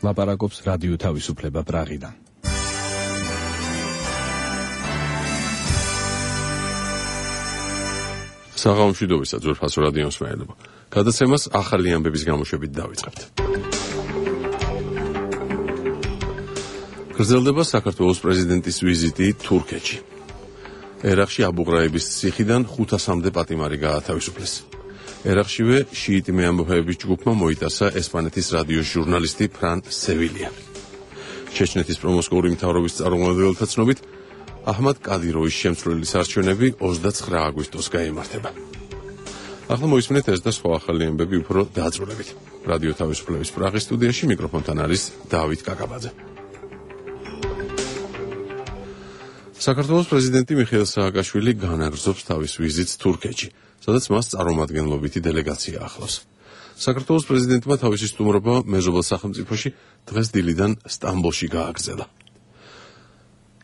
ლაპარაკობს რადიო თავისუფლება პრაღიდან. საღამომშვიდობისა ძვირფასო რადიო მსმენელებო. გადაცემას ახალი ამბების გამოშვებით დავიწყებთ. გრძელდება საქართველოს პრეზიდენტის ვიზიტი თურქეთში. ერაყში აბუღრაიბის ციხიდან 500-მდე პატიმარი გაათავისუფლეს. ერაყშივე შიიტი მეამბოხეების ჯგუფმა მოიტაცა ესპანეთის რადიოს ჟურნალისტი ფრან სევილია. ჩეჩნეთის პრომოსკოვური მთავრობის წარმომადგენელთა ცნობით, აჰმად კადიროვის შემცვლელის არჩევნები 29 აგვისტოს გაიმართება. ახლა მოისმინეთ ეს და სხვა ახალი ამბები უფრო დაწვრილებით. რადიო თავისუფლების პრაღის სტუდიაში მიკროფონთან არის დავით კაკაბაძე. საქართველოს პრეზიდენტი მიხეილ სააკაშვილი განაგრძობს თავის ვიზიტს თურქეთში, სადაც მას წარმომადგენლობითი დელეგაცია ახლავს. საქართველოს პრეზიდენტმა თავისი სტუმრობა მეზობელ სახელმწიფოში დღეს დილიდან სტამბოლში გააგრძელა.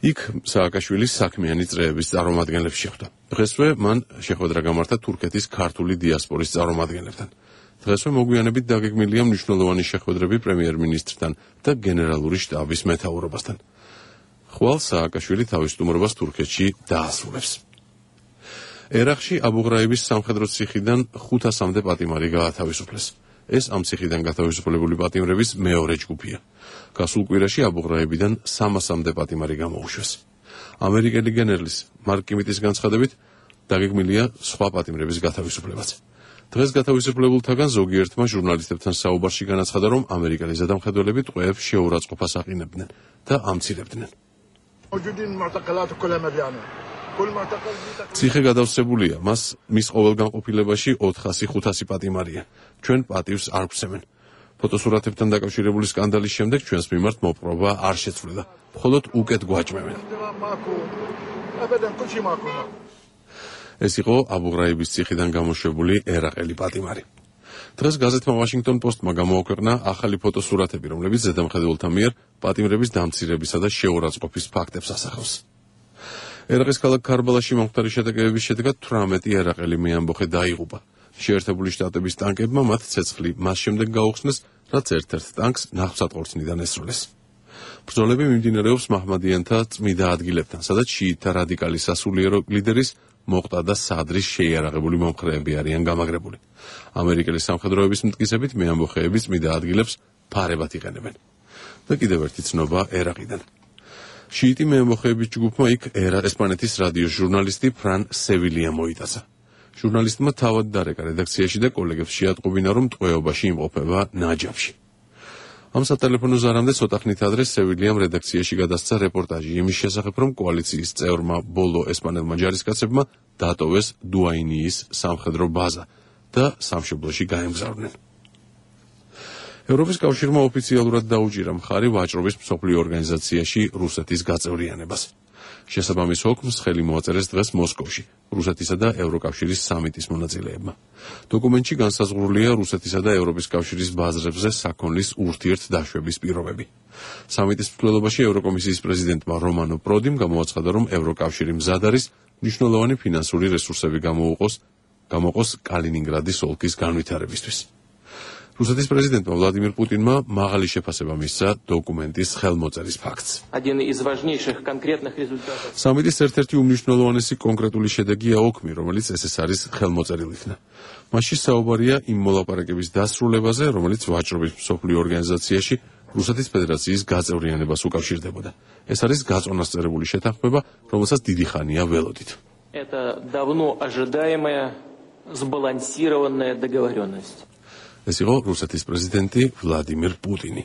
იქ სააკაშვილის საქმიანი წრეების წარმომადგენლებს შეხვდა. დღესვე მან შეხვედრა გამართა თურქეთის ქართული დიასპორის წარმომადგენლებთან. დღესვე მოგვიანებით დაგეგმილია მნიშვნელოვანი შეხვედრები პრემიერ-მინისტრთან და გენერალური შტაბის მეთაურობასთან. ხვალ სააკაშვილი თავის სტუმრობას თურქეთში დაასრულებს. ერაყში აბუღრაიბის სამხედრო ციხიდან 500-მდე პატიმარი გაათავისუფლეს. ეს ამ ციხიდან გათავისუფლებული პატიმრების მეორე ჯგუფია. გასულ კვირაში აბუღრაიბიდან 300-მდე პატიმარი გამოუშვეს. ამერიკელი გენერლის მარკ კიმიტის განცხადებით დაგეგმილია სხვა პატიმრების გათავისუფლებაც. დღეს გათავისუფლებულთაგან ზოგიერთმა ჟურნალისტებთან საუბარში განაცხადა, რომ ამერიკელი ზედამხედველები ტყვეებს შეურაცხყოფას აყინებდნენ და ამცირებდნენ. ციხე გადავსებულია, მის ყოველ განყოფილებაში 400-500 პატიმარია. ჩვენ პატივს არ გვცემენ. ფოტოსურათებთან დაკავშირებული სკანდალის შემდეგ ჩვენს მიმართ მოპყრობა არ შეცვლილა. მხოლოდ უკეთ გვაჭმევენ. ეს იყო აბუღრაიბის ციხიდან გამოშვებული ერაყელი პატიმარი. დღეს გაზეთმა ვაშინგტონ პოსტმა გამოაქვეყნა ახალი ფოტოსურათები, რომლებიც ზედამხედველთა მიერ პატიმრების დამცირებისა და შეურაცხყოფის ფაქტებს ასახავს. ერაყის ქალაქ ქარბალაში მომხდარი შეტაკებების შედეგად 18 ერაყელი მეამბოხე დაიღუპა. შეერთებული შტატების ტანკებმა მათ ცეცხლი მას შემდეგ გაუხსნეს, რაც ერთ-ერთ ტანკს ნავსატყორცნიდან ესროლეს. ბრძოლები მიმდინარეობს მაჰმადიანთა წმიდა ადგილებთან, სადაც შიიტთა რადიკალი სასულიერო ლიდერის მოყტა და სადრის შეიარაღებული მომხრეები არიან გამაგრებული. ამერიკელი სამხედროების მტკიცებით მეამბოხეები წმიდა ადგილებს ფარებად იყენებენ. და კიდევ ერთი ცნობა ერაყიდან. შიიტი მეამბოხეების ჯგუფმა იქ ესპანეთის რადიოს ჟურნალისტი ფრან სევილია მოიტაცა. ჟურნალისტმა თავად დარეკა რედაქციაში და კოლეგებს შეატყობინა, რომ ტყვეობაში იმყოფება ნაჯაფში. ამ სატელეფონო ზარამდე ცოტა ხნით ადრე სევილიამ რედაქციაში გადასცა რეპორტაჟი იმის შესახებ, რომ კოალიციის წევრმა ბოლო ესპანელმა ჯარისკაცებმა დატოვეს დუაინიის სამხედრო ბაზა და სამშობლოში გაემგზავრნენ. ევროპის კავშირმა ოფიციალურად დაუჭირა მხარი ვაჭრობის მსოფლიო ორგანიზაციაში რუსეთის გაწევრიანებას. შესაბამის ოკმს ხელი მოაწერეს დღეს მოსკოვში, რუსეთისა და ევროკავშირის სამიტის მონაწილეებმა. დოკუმენტში განსაზღვრულია რუსეთისა და ევროპის კავშირის ბაზრებზე საქონლის ურთიერთდაშვების პირობები. სამიტის მსვლელობაში ევროკომისიის პრეზიდენტმა რომანო პროდიმ გამოაცხადა, რომ ევროკავშირი მზად არის მნიშვნელოვანი ფინანსური რესურსები გამოყოს კალინინგრადის ოლქის განვითარებისთვის. რუსეთის პრეზიდენტმა ვლადიმირ პუტინმა მაღალი შეფასება მისცა დოკუმენტის ხელმოწერის ფაქტს. სამიტის ერთ-ერთი უმნიშვნელოვანესი კონკრეტული შედეგია ოკმი, რომელიც ეს არის ხელმოწერილ იქნა. მასში საუბარია იმ მოლაპარაკების დასრულებაზე, რომელიც ვაჭრობის მსოფლიო ორგანიზაციაში რუსეთის ფედერაციის გაწევრიანებას უკავშირდებოდა. ეს არის გაწონასწერებული შეთანხმება, რომელსაც დიდი ხანია ველოდით. Это давно ожидаемая сбалансированная договоренность. ეს იყო რუსეთის პრეზიდენტი ვლადიმირ პუტინი.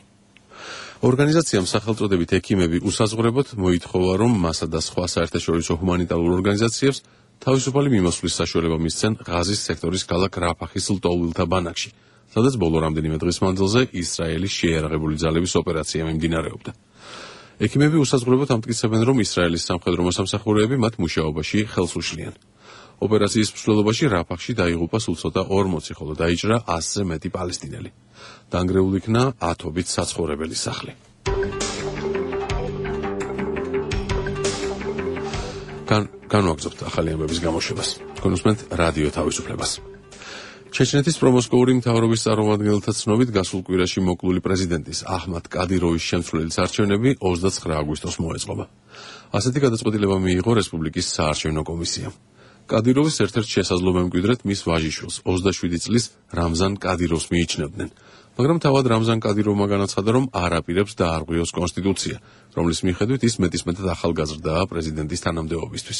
ორგანიზაციამ სახელწოდებით ექიმები უსაზღვრებოდ მოითხოვა, რომ მასა და სხვა საერთაშორისო ჰუმანიტარულ ორგანიზაციებს თავისუფალი მიმოსვლის საშუალება მისცენ ღაზის სექტორის ქალაქ რაფახის ლტოლვილთა ბანაკში, სადაც ბოლო რამდენიმე დღის მანძილზე ისრაელის შეიარაღებული ძალების ოპერაცია მიმდინარეობდა. ექიმები უსაზღვრებოდ ამტკიცებენ, რომ ისრაელის სამხედრო მოსამსახურეები მათ მუშაობაში ხელს უშლიან. ოპერაციის მსვლელობაში რაფახში დაიღუპა სულ ცოტა 40, ხოლო დაიჭრა 100-ზე მეტი პალესტინელი. დანგრეულ იქნა 10-ობით საცხოვრებელი სახლი. განვაგრძობთ ახალი ამბების გამოშვებას. გონუსმენთ რადიო თავისუფლებას. ჩეჩნეთის პრომოსკოვური მთავრობის წარმომადგენელთა ცნობით გასულ კვირაში მოკლული პრეზიდენტის აჰმად კადიროვის შემცვლელის არჩევნები 29 აგვისტოს მოეწყობა. ასეთი გადაწყვეტილება მიიღო რესპუბლიკის საარჩევნო კომისიამ. კადიროვის ერთ-ერთ შესაძლო მემკვიდრედ მის ვაჟიშვილს 27 წლის რამზან კადიროვს მიიჩნევდნენ, მაგრამ თავად რამზან კადიროვმა განაცხადა, რომ არ აპირებს დაარღვიოს კონსტიტუცია, რომლის მიხედვით ის მეტისმეტად ახალგაზრდაა პრეზიდენტის თანამდებობისთვის.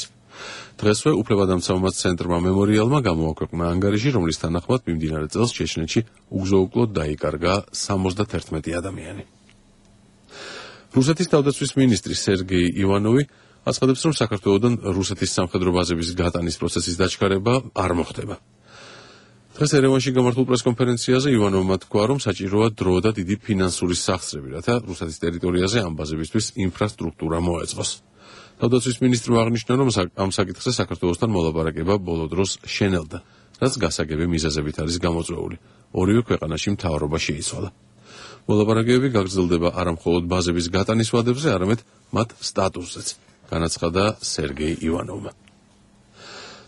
დღესვე უფლებადამცავმაც ცენტრმა მემორიალმა გამოაქვეყნა ანგარიში, რომლის თანახმად მიმდინარე წელს ჩეჩნეთში უგზო-უკლოდ დაიკარგა 71 ადამიანი. რუსეთის თავდაცვის მინისტრი სერგეი ივანოვი აცხადებს, რომ საქართველოდან რუსეთის სამხედრო ბაზების გატანის პროცესის დაჩქარება არ მოხდება. დღეს ერევანში გამართულ პრესკონფერენციაზე ივანოვმა თქვა, რომ საჭიროა დრო და დიდი ფინანსური სახსრები, რათა რუსეთის ტერიტორიაზე ამ ბაზებისთვის ინფრასტრუქტურა მოეწყოს. თავდაცვის მინისტრმა აღნიშნა, რომ ამ საკითხზე საქართველოსთან მოლაპარაკება ბოლო დროს შენელდა, რაც გასაგები მიზეზებით არის გამოწვეული. ორივე ქვეყანაში მთავრობა შეიცვალა. მოლაპარაკებები გაგრძელდება არა მხოლოდ ბაზების გატანის ვადებზე, არამედ მათ სტატუსზეც, განაცხადა სერგეი ივანოვმა.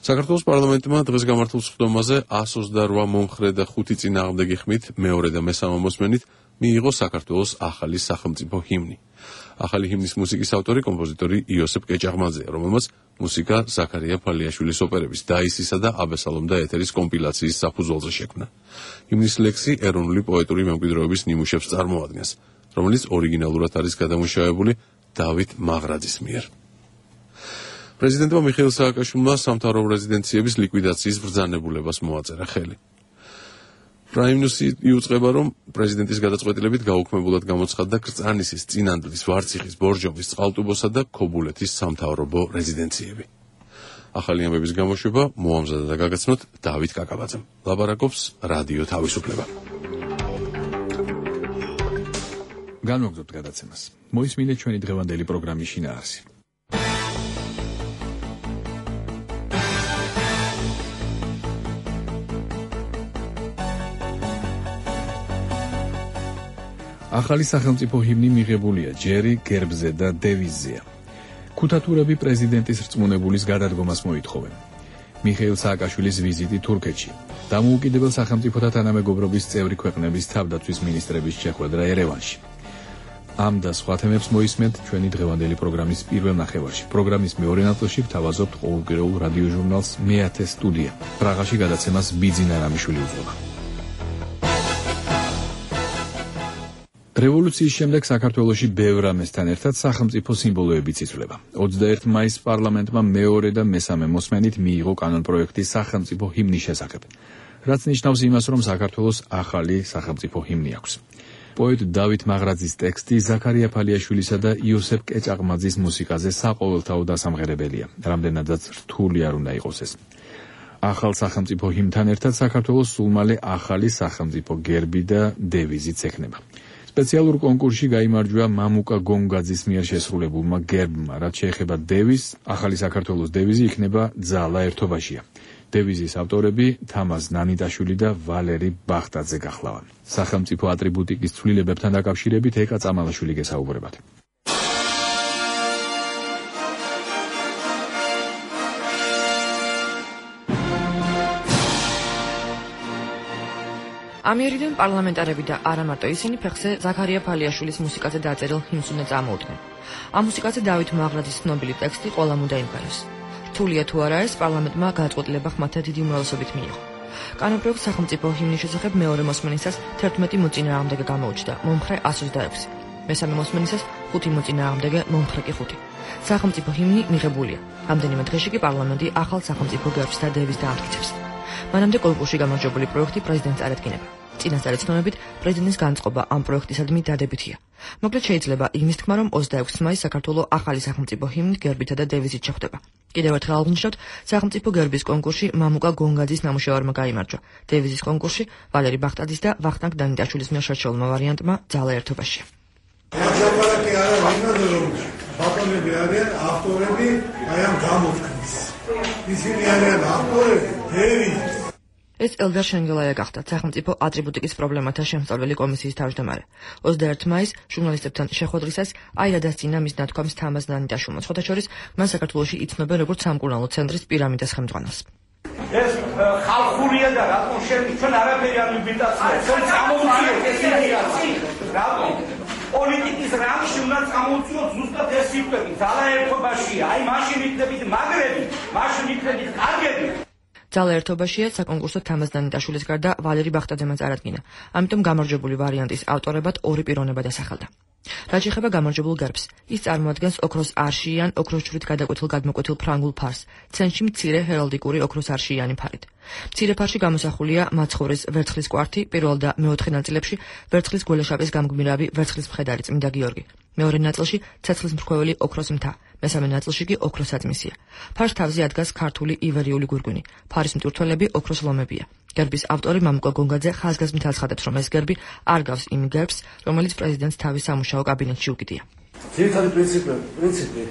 საქართველოს პარლამენტმა დღეს გამართულ სხდომაზე 128 მომხრე და 5 წინააღმდეგი ხმით მეორე და მესამე მოსმენით მიიღო საქართველოს ახალი სახელმწიფო ჰიმნი. ახალი ჰიმნის მუსიკის ავტორი კომპოზიტორი იოსებ კეჭაღმაძეა, რომელმაც მუსიკა ზაქარია ფალიაშვილის ოპერების დაისისა და აბესალომ და ეთერის კომპილაციის საფუძველზე შექმნა. ჰიმნის ლექსი ეროვნული პოეტური მემკვიდრეობის ნიმუშებს წარმოადგენს, რომელიც ორიგინალურად არის გადამუშავებული დავით მაღრაძის მიერ. პრეზიდენტმა მიხეილ სააკაშვილმა სამთავრობო რეზიდენციების ლიკვიდაციის ბრძანებულებას მოაწერა ხელი. პრაიმნიუსი იუწყება, რომ პრეზიდენტის გადაწყვეტილებით გაუქმებულად გამოცხადდა კრწანისის, წინანდლის, ვარციხის, ბორჯომის, წყალტუბოსა და ქობულეთის სამთავრობო რეზიდენციები. ახალი ამბების გამოშვება მოამზადა და გაგაცნოთ დავით კაკაბაძემ. ლაპარაკობს რადიო თავისუფლება. განვაგრძობთ გადაცემას. მოისმინეთ ჩვენი დღევანდელი პროგრამის შინაარსი. ახალი სახელმწიფო ჰიმნი მიღებულია ჯერი, გერბზე და დევიზზეა. ქუთათურები პრეზიდენტის რწმუნებულის გადადგომას მოითხოვენ. მიხეილ სააკაშვილის ვიზიტი თურქეთში. დამოუკიდებელ სახელმწიფოთა თანამეგობრობის წევრი ქვეყნების თავდაცვის მინისტრების შეხვედრა ერევანში. ამ და სხვა თემებს მოისმენთ ჩვენი დღევანდელი პროგრამის პირველ ნახევარში. პროგრამის მეორე ნაწილში ვთავაზობთ ყოველკვირეულ რადიო ჟურნალს მეათე სტუდია. პრაღაში გადაცემას ბიძინა რამიშვილი უძღვება. რევოლუციის შემდეგ საქართველოში ბევრ რამესთან ერთად სახელმწიფო სიმბოლოებიც იცვლება. 21 მაისს პარლამენტმა მეორე და მესამე მოსმენით მიიღო კანონპროექტი სახელმწიფო ჰიმნის შესახებ, რაც ნიშნავს იმას, რომ საქართველოს ახალი სახელმწიფო ჰიმნი აქვს. პოეტ დავით მაღრაძის ტექსტი ზაქარია ფალიაშვილისა და იოსებ კეჭაღმაძის მუსიკაზე საყოველთაო დასამღერებელია, რამდენადაც რთული არ უნდა იყოს ეს. ახალ სახელმწიფო ჰიმნთან ერთად საქართველოს სულ მალე ახალი სახელმწიფო გერბი და დევიზიც ექნება. სპეციალურ კონკურსში გაიმარჯვა მამუკა გონგაძის მიერ შესრულებულმა გერბმა, რაც შეეხება დევიზს, ახალი საქართველოს დევიზი იქნება ძალა ერთობაშია. დევიზის ავტორები თამაზ ნანიტაშვილი და ვალერი ბახტაძე გახლავან. სახელმწიფო ატრიბუტიკის ცვლილებებთან დაკავშირებით ეკა წამალაშვილი გესაუბრებათ. ამიერიდან პარლამენტარები და არა მარტო ისინი ფეხზე ზაქარია ფალიაშვილის მუსიკაზე დაწერილ ჰიმნს უნდა წამოუდგნენ. ამ მუსიკაზე დავით მაღრაძის ცნობილი ტექსტი ყველამ უნდა იმღეროს. რთულია თუ არა ეს, პარლამენტმა გადაწყვეტილება ხმათა დიდი უმრავლესობით მიიღო. კანონპროექტს სახელმწიფო ჰიმნის შესახებ მეორე მოსმენისას 11 მოწინააღმდეგე გამოუჩნდა, მომხრე 126. მესამე მოსმენისას 5 მოწინააღმდეგე, მომხრე კი 5. სახელმწიფო ჰიმნი მიღებულია. რამდენიმე დღეში კი პარლამენტი ახალ სახელმწიფო გერბს და დევიზს დაამტკიცებს. მანამდე კონკურსში გამარჯვებული პროექტი პრეზიდენტს წარადგინება. წინასწარი ცნობებით პრეზიდენტის განწყობა ამ პროექტისადმი დადებითია. მოკლედ შეიძლება იმის თქმა, რომ 26 მაისს საქართველოს ახალი სახელმწიფო ჰიმნით, გერბითა და დევიზით შეხვდება. კიდევ ერთხელ აღნიშნავთ, სახელმწიფო გერბის კონკურსში მამუკა გონგაძის ნამუშევარმა გაიმარჯვა. დევიზის კონკურსში ვალერი ბახტაძის და ვახტანგ დანიტაშვილის მიერ შერჩეულმა ვარიანტმა ძალა ერთობაშია. ბატონები არიან ავტორები აი ამ გამოთქმის. ისინი არიან ავტორები დევიზის. ეს ელდარ შენგელაია გახდა სახელმწიფო ატრიბუტიკის პრობლემათა შემსწავლელი კომისიის თავმჯდომარე. 21 მაისს ჟურნალისტებთან შეხვედრისას აირა დასწინა მის ნათქვამს თამაზ ნანიტაშვილმა. სხვათა შორის, მან საქართველოში იცნობენ როგორც სამკურნალო ცენტრის პირამიდას ხელმძღვანელს. ეს ხალხურია და რატომ ჩვენ არაფერი არ ვიბიტაცია ჩვენ წამოვწიოთ ეს იდეა რატომ პოლიტიკის რამში უნდა წამოვწიოთ ზუსტად ეს სიტყვები ძალა ერთობაშია აი მაშინ იქნებით მაგრები მაშინ იქნებით კარგები ძალა ერთობაშია საკონკურსო თამაზ დანიტაშვილის გარდა ვალერი ბახტაძემაც არადგინა ამიტომ გამარჯვებული ვარიანტის ავტორებად ორი პიროვნება დასახელდა რაც შეეხება გამარჯვებულ გერბს ის წარმოადგენს ოქროს არშიან ოქროს ჯვრით გადაკვეთილ გადმოკვეთილ ფრანგულ ფარს ცენტრში მცირე ჰერალდიკური ოქროს არშიანი ფარით მცირე ფარში გამოსახულია მაცხოვრის ვერცხლის კვართი პირველ და მეოთხე ნაწილებში ვერცხლის გველეშაპის გამგმირავი ვერცხლის მხედარი წმინდა გიორგი მეორე ნაწილში ცეცხლის მრქვეველი ოქროს მთა მესამე ნაწილში კი ოქროს აწმისია ფარს თავზე ადგას ქართული ივერიული გვირგვინი ფარის მტვირთველები ოქროს ლომებია გერბის ავტორი მამუკა გონგაძე ხაზგასმით აცხადებს რომ ეს გერბი არ გავს იმ გერბს რომელიც პრეზიდენტს თავის სამუშაო კაბინეტში უკიდია ძირითადი პრინციპი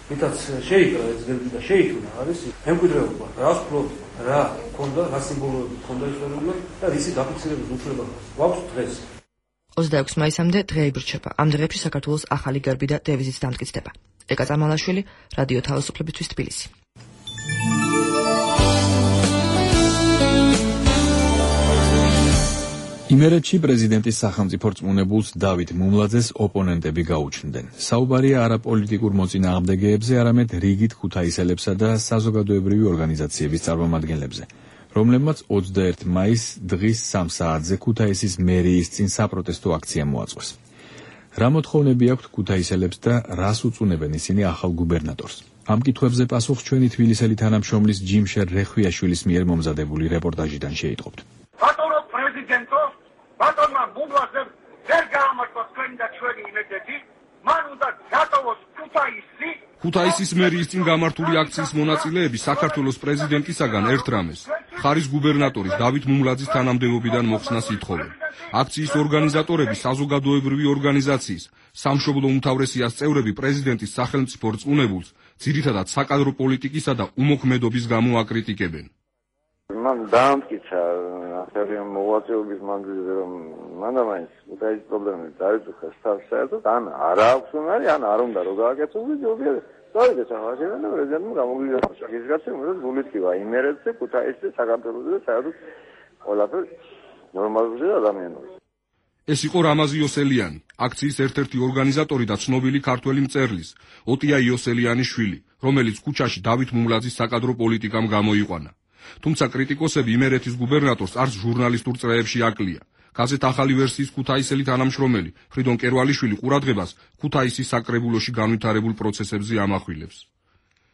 ვითაც შეიკრა ეს გერბი და შეიქმნა არის მემკვიდრეობა რა ფლოთ რა ქონდა რა სიმბოლოები ქონდა ისტორიულად და რისი დაფიქსირების უფლება გვაქვს დღეს 26 მაისამდე დღე იბრძება ამ დღეებში საქართველოს ახალი გერბი და დევიზიც დამტკიცდება ეკა წამალაშვილი რადიო თავისუფლებისთვის თბილისი იმერეთში პრეზიდენტის სახელმწიფო რწმუნებულს დავით მუმლაძეს ოპონენტები გაუჩნდნენ. საუბარია არა პოლიტიკურ მოწინააღმდეგეებზე, არამედ რიგით ქუთაისელებსა და საზოგადოებრივი ორგანიზაციების წარმომადგენლებზე, რომლებმაც 21 მაისს დღის 3 საათზე ქუთაისის მერიის წინ საპროტესტო აქცია მოაწყვეს. რა მოთხოვნები აქვთ ქუთაისელებს და რას უწუნებენ ისინი ახალ გუბერნატორს? ამ კითხვებზე პასუხს ჩვენი თბილისელი თანამშრომლის ჯიმშერ რეხვიაშვილის მიერ მომზადებული რეპორტაჟიდან შეიტყობთ. ბატონო პრეზიდენტო ბატონმა მუმლაძემ ვერ გაამართლა თქვენი და ჩვენი იმედები მან უნდა დატოვოს ქუთაისის მერიის წინ გამართული აქციის მონაწილეები საქართველოს პრეზიდენტისაგან ერთ რამეს ხარის გუბერნატორის დავით მუმლაძის თანამდებობიდან მოხსნას ითხოვენ. აქციის ორგანიზატორები საზოგადოებრივი ორგანიზაციის სამშობლო უმთავრესიას წევრები პრეზიდენტის სახელმწიფო რწმუნებულს ძირითადად საკადრო პოლიტიკისა და უმოქმედობის გამო აკრიტიკებენ. მან დაამტკიცა ახალი მოღვაწეობის მანძილზე რომ მანდამაინც ქუთაისის პრობლემები დაიწყეს საერთოდ ან არ აქვს უნარი ან არ უნდა რომ გააკეთოს ჯობია დავიდეს ახლა პრეზიდენტმა გამოგვიძახა ის გაცემ რომ გულითქვა იმერეთზე ქუთაისზე საქართველოსზე და საერთოდ ყველაფერ ნორმალურია ადამიანური. ეს იყო რამაზი იოსელიანი, აქციის ერთ-ერთი ორგანიზატორი და ცნობილი ქართველი მწერლის ოტია იოსელიანის შვილი, რომელიც ქუჩაში დავით მუმლაძის საკადრო პოლიტიკამ გამოიყვანა. თუმცა კრიტიკოსები იმერეთის გუბერნატორს არც ჟურნალისტურ წრეებში აკლია. გაზეთ ახალი ვერსიის ქუთაისელი თანამშრომელი ფრიდონ კერვალიშვილი ყურადღებას ქუთაისის საკრებულოში განვითარებულ პროცესებზე ამახვილებს.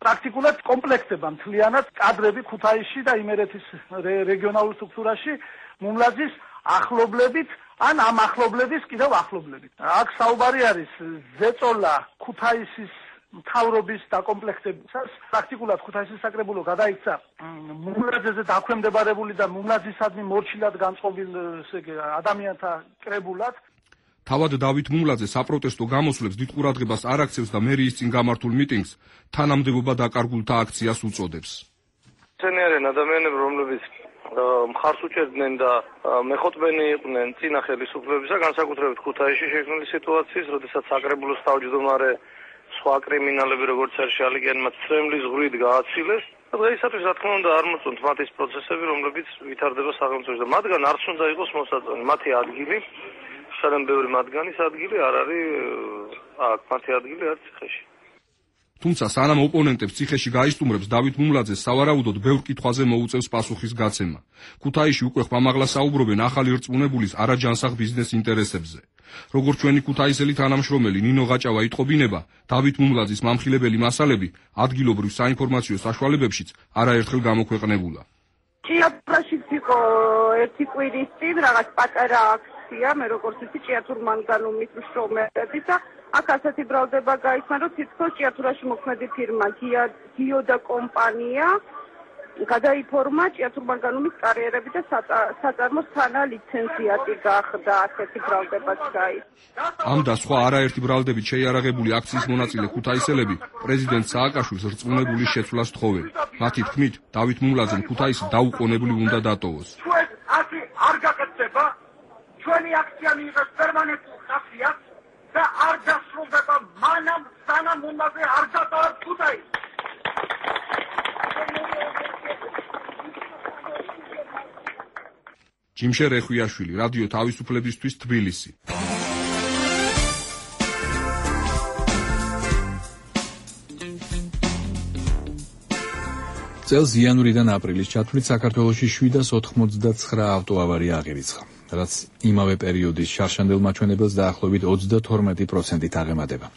პრაქტიკულად კომპლექტება მთლიანად კადრები ქუთაისში და იმერეთის რეგიონალურ სტრუქტურაში მუმლაძის ახლობლებით ან ამ ახლობლების კიდევ ახლობლებით. აქ საუბარი არის ზეწოლა ქუთაისის მთავრობის დაკომპლექტებისას. პრაქტიკულად ქუთაისის საკრებულო გადაიქცა მუმლაძეზე დაქვემდებარებული და მუმლაძისადმი მორჩილად განწყობილ ადამიანთა კრებულად. თავად დავით მუმლაძე საპროტესტო გამოსვლებს დიდ ყურადღებას არ აქცევს და მერიის წინ გამართულ მიტინგს თანამდებობა დაკარგულთა აქციას უწოდებს. ცენიერენ ადამიანები, რომლებიც მხარს უჭერდნენ და მეხოთბენი იყვნენ წინა ხელისუფლებისა, განსაკუთრებით ქუთაისში შექმნილი სიტუაციის, როდესაც საკრებულოს თავმჯდომარე სხვა კრიმინალები როგორც არის შალიკიანმა ცრემლის ზღვრით გააცილეს და დღეისათვის რა თქმა უნდა არ მოწონთ მათ ის პროცესები, რომლებიც ვითარდება სახელმწიფოში და მათგან არც უნდა იყოს მოსაწონი. მათი ადგილი, სანამ ბევრი მათგანის ადგილი არ არის აქ, მათი ადგილი არის ციხეში. თუმცა სანამ ოპონენტებს ციხეში გაისტუმრებს დავით მუმლაძეს სავარაუდოდ ბევრ კითხვაზე მოუწევს პასუხის გაცემა. ქუთაისში უკვე ხმამაღლა საუბრობენ ახალი რწმუნებულის არაჯანსაღ ბიზნეს ინტერესებზე. როგორც ჩვენი ქუთაისელი თანამშრომელი ნინო გაჭავა იტყობინება, დავით მუმლაძის მამხილებელი მასალები ადგილობრივ საინფორმაციო საშუალებებშიც არაერთხელ გამოქვეყნებულა. ჭიათურაშიც იყო ერთი კვირის წინ რაღაც პატარა აქცია, მე როგორც ვიცი ჭიათურმანგანუმის მშრომელები და აქ ასეთი ბრალდება გაიხსნა, რომ თითქოს ჭიათურაში მოქმედი ფირმა გიოდა კომპანია გადაიფორმა ჭიათურმანგანუმის კარიერები და საწარმოს თანა ლიცენზიატი გახდა, ასეთი ბრალდებაც გაიხსნა. ამ და სხვა არაერთი ბრალდებით შეიარაღებული აქციის მონაწილე ქუთაისელები პრეზიდენტ სააკაშვილის რწმუნებულის შეცვლას თხოვენ. მათი თქმით, დავით მუმლაძემ ქუთაისი დაუყოვნებლივ უნდა დატოვოს. ჩვენ აქ არ გაკეთდება, ჩვენი აქცია მიიღებს პერმანენტულ ხასიათს და არ დასრულდება მანამ სანამ მუმლაძე არ დატოვებს ქუთაისს. ჯიმშე რეხვიაშვილი, რადიო თავისუფლებისთვის, თბილისი. წელს იანვრიდან აპრილის ჩათვლით საქართველოში 789 ავტოავარია აღირიცხა, რაც იმავე პერიოდის შარშანდელ მაჩვენებელს დაახლოებით 32%-ით აღემატება.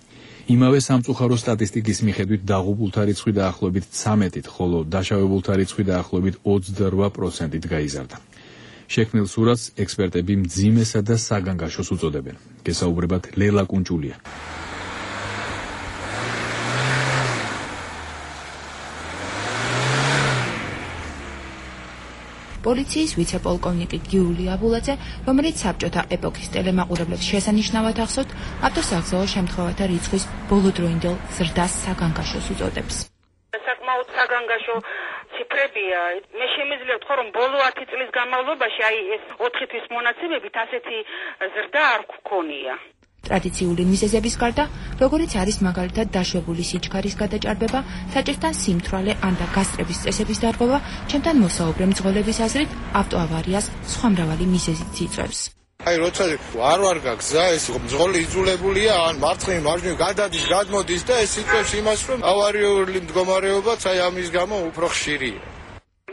იმავე სამწუხარო სტატისტიკის მიხედვით დაღუპულთა რიცხვი დაახლოებით 13-ით, ხოლო დაშავებულთა რიცხვი დაახლოებით 28%-ით გაიზარდა. შექმნილ სურათს ექსპერტები მძიმესა და საგანგაშოს უწოდებენ. გესაუბრებათ ლელა კუნჭულია. პოლიციის ვიცე-პოლკოვნიკი გიული აბულაძე, რომელიც საბჭოთა ეპოქის ტელემაყურებლებს შესანიშნავად ახსოვთ, ავტოსაგზაო შემთხვევათა რიცხვის ბოლოდროინდელ ზრდას საგანგაშოს უწოდებს. საკმაოდ საგანგაშო ციფრებია. მე შემიძლია ვთქვა, რომ ბოლო 10 წლის განმავლობაში ეს 4 თვის მონაცემებით ასეთი ზრდა არ გქონია. ტრადიციული მიზეზების გარდა, როგორიც არის მაგალითად დაშვებული სიჩქარის გადაჭარბება, საჭირთან სიმთვრალე ან და გასტრების წესების დარღვევა, ჩემთან მოსაუბრე მძღოლების აზრით, ავტოავარიას სხვა მრავალი მიზეზით იწვევს. აი როცა არ გაგზა, ეს მძღოლი იძულებულია ან მარცხნივ მარჯვნივ გადადის, გადმოდის და ეს იწვევს იმას, რომ ავარიული მდგომარეობაც აი ამის გამო უფრო ხშირია.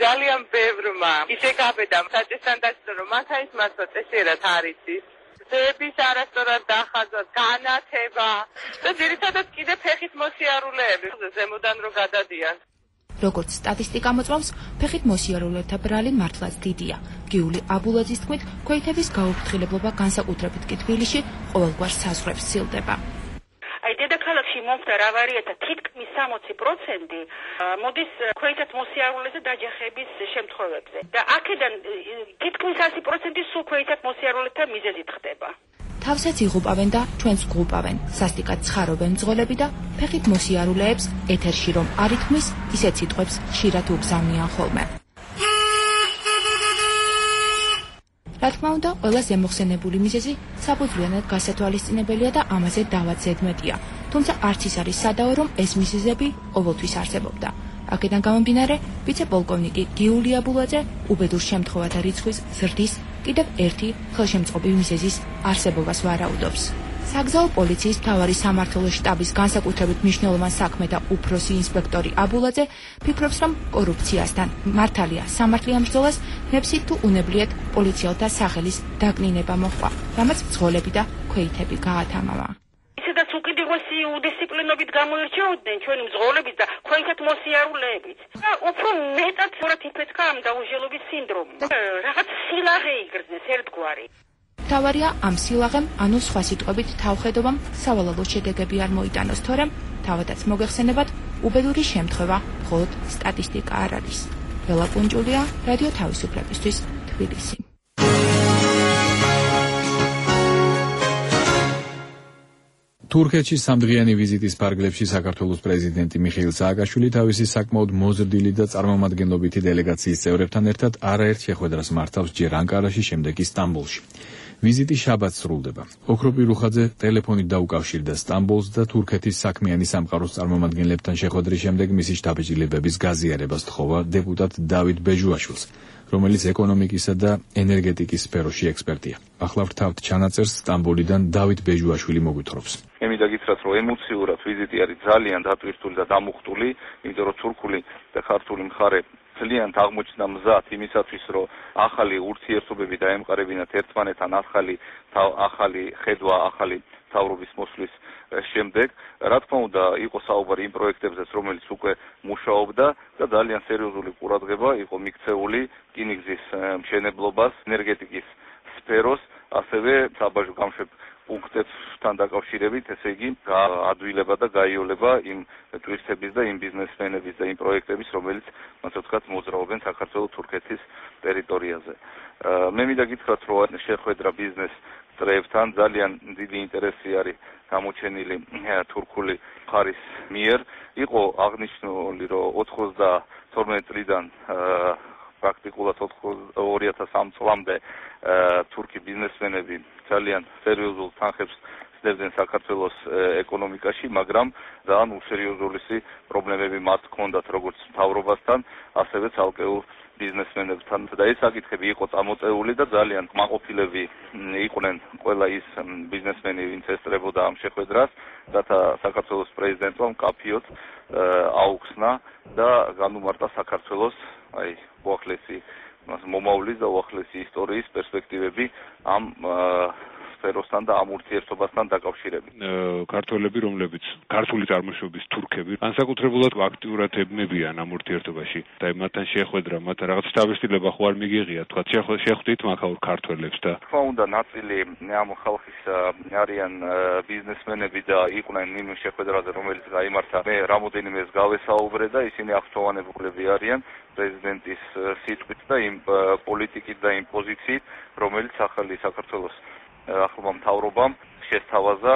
ძალიან ბევრმა ისე გაბედა საჭესთან დასწრო, რომ მათაის მასო წესიერად არის ის. ზების არასწორად დახაზვა, განათება და ძირითადად კიდე ფეხით მოსიარულეები, ზემოდან რო გადადიან. როგორც სტატისტიკა მოწმობს, ფეხით მოსიარულეთა ბრალი მართლაც დიდია. გიული აბულაძის თქმით, ქვეითების გაუფრთხილებლობა განსაკუთრებით კი თბილისში ყოველგვარ საზღვრებს სცილდება. აი დედაქალაქში მომხდარ ავარიათა თითქმის 60% მოდის ქვეითად მოსიარულეზე დაჯახების შემთხვევებზე და აქედან თითქმის 100% სულ ქვეითად მოსიარულეთა მიზეზით ხდება. თავსაც იღუპავენ და ჩვენს გღუპავენ, სასტიკად ცხარობენ მძღოლები და ფეხით მოსიარულეებს ეთერში რომ არ ითქმის, ისეთ სიტყვებს ხშირად უგზავნიან ხოლმე. რა თქმა უნდა, ყველა ზემოხსენებული მიზეზი საფუძვლიანად გასათვალისწინებელია და ამაზე დავად ზედმეტია. თუმცა არც ის არის სადაო, რომ ეს მიზეზები ყოველთვის არსებობდა. აქედან გამომდინარე, ვიცე-პოლკოვნიკი გიული აბულაძე უბედურ შემთხვევათა რიცხვის ზრდის კიდევ ერთი ხელშემწყობი მიზეზის არსებობას ვარაუდობს. საგზაო პოლიციის მთავარი სამმართველოს შტაბის განსაკუთრებით მნიშვნელოვან საქმე და უფროსი ინსპექტორი აბულაძე ფიქრობს, რომ კორუფციასთან მართალია სამართლიან ბრძოლას ნებსით თუ უნებლიეთ პოლიციელთა სახელის დაკნინება მოჰყვა, რამაც მძღოლები და ქვეითები გაათამამა. ისედაც უკიდურესი უდისციპლინობით გამოირჩეოდნენ ჩვენი მძღოლებით და ქვეითად მოსიარულეებით. და უფრო მეტად იფეთქა ამ დაუჟელობის სინდრომი. რაღაც სილაღე იგრძნეს ერთგვარი. თავარია ამ სილაღემ, ანუ სხვა სიტყვებით თავხედობამ სავალალო შედეგები არ მოიტანოს, თორემ თავადაც მოგეხსენებათ, უბედური შემთხვევა მხოლოდ სტატისტიკა არ არის. ლელა კუნჭულია, რადიო თავისუფლებისთვის, თბილისი. თურქეთში სამდღიანი ვიზიტის ფარგლებში საქართველოს პრეზიდენტი მიხეილ სააკაშვილი თავისი საკმაოდ მოზრდილი და წარმომადგენლობითი დელეგაციის წევრებთან ერთად არაერთ შეხვედრას მართავს ჯერ ანკარაში, შემდეგ კი სტამბოლში. ვიზიტი შაბათს სრულდება. ოქროპი რუხაძე ტელეფონით დაუკავშირდა სტამბოლს და თურქეთის საქმიანი სამყაროს წარმომადგენლებთან შეხვედრის შემდეგ მისი შთაბეჭდილებების გაზიარებას თხოვა დეპუტატ დავით ბეჟუაშვილს, რომელიც ეკონომიკისა და ენერგეტიკის სფეროში ექსპერტია. ახლა ვთავთ ჩანაწერს სტამბოლიდან დავით ბეჟუაშვილი მოგვითხრობს. მე მინდა გითხრათ, რომ ემოციურად ვიზიტი არის ძალიან დატვირთული და დამუხტული, იმიტომ რომ თურქული და ქართული მხარე ძალიან აღმოჩნდა მზად იმისათვის, რომ ახალი ურთიერთობები დაემყარებინათ ერთმანეთთან, ახალი ხედვა, ახალი თავრობის მოსვლის შემდეგ. რა თქმა უნდა, იყო საუბარი იმ პროექტებზეც, რომელიც უკვე მუშაობდა და ძალიან სერიოზული ყურადღება იყო მიქცეული რკინიგზის მშენებლობას, ენერგეტიკის სფეროს, ასევე საბაჟო გამშვებ პუნქტებთან დაკავშირებით, ესე იგი, ადვილება და გაიოლება იმ ტურისტების და იმ ბიზნესმენების და იმ პროექტების, რომელიც, ასე ვთქვათ, მოძრაობენ საქართველოს-თურქეთის ტერიტორიაზე. მე მინდა გითხრათ, რომ შეხვედრა ბიზნეს წრეებთან ძალიან დიდი ინტერესი არის გამოჩენილი თურქული მხარის მიერ. იყო აღნიშნული, რომ 92 წლიდან პრაქტიკულად 2003 წლამდე თურქი ბიზნესმენები ძალიან სერიოზულ თანხებს ცდებდნენ საქართველოს ეკონომიკაში, მაგრამ ძალიან უსერიოზულისი პრობლემები მათ ჰქონდათ როგორც მთავრობასთან, ასევე ცალკეულ ბიზნესმენებთან და ეს საკითხები იყო წამოწეული და ძალიან კმაყოფილები იყვნენ ყველა ის ბიზნესმენი, ვინც ესწრებოდა ამ შეხვედრას, რათა საქართველოს პრეზიდენტმა მკაფიოდ აუხსნა და განუმარტა საქართველოს უახლესი მომავლის და უახლესი ისტორიის პერსპექტივები ამ სფეროსთან და ამ ურთიერთობასთან დაკავშირებით. ქართველები, რომლებიც ქართული წარმოშობის თურქები, განსაკუთრებულად აქტიურად ებმებიან ამ ურთიერთობაში და მათთან შეხვედრა, მათ რაღაც შთაბეჭდილება ხო არ მიგიღია, თქვა შეხვდით მაქაურ ქართველებს და თქმა უნდა ნაწილი ამ ხალხის არიან ბიზნესმენები და იყვნენ იმ შეხვედრაზე, რომელიც გაიმართა. მე რამოდენიმეს გავესაუბრე და ისინი აღსტოვანებულები არიან პრეზიდენტის სიტყვით და იმ პოლიტიკით და იმ პოზიციით, რომელიც ახალი საქართველოს ახლმა მთავრობამ შესთავაზა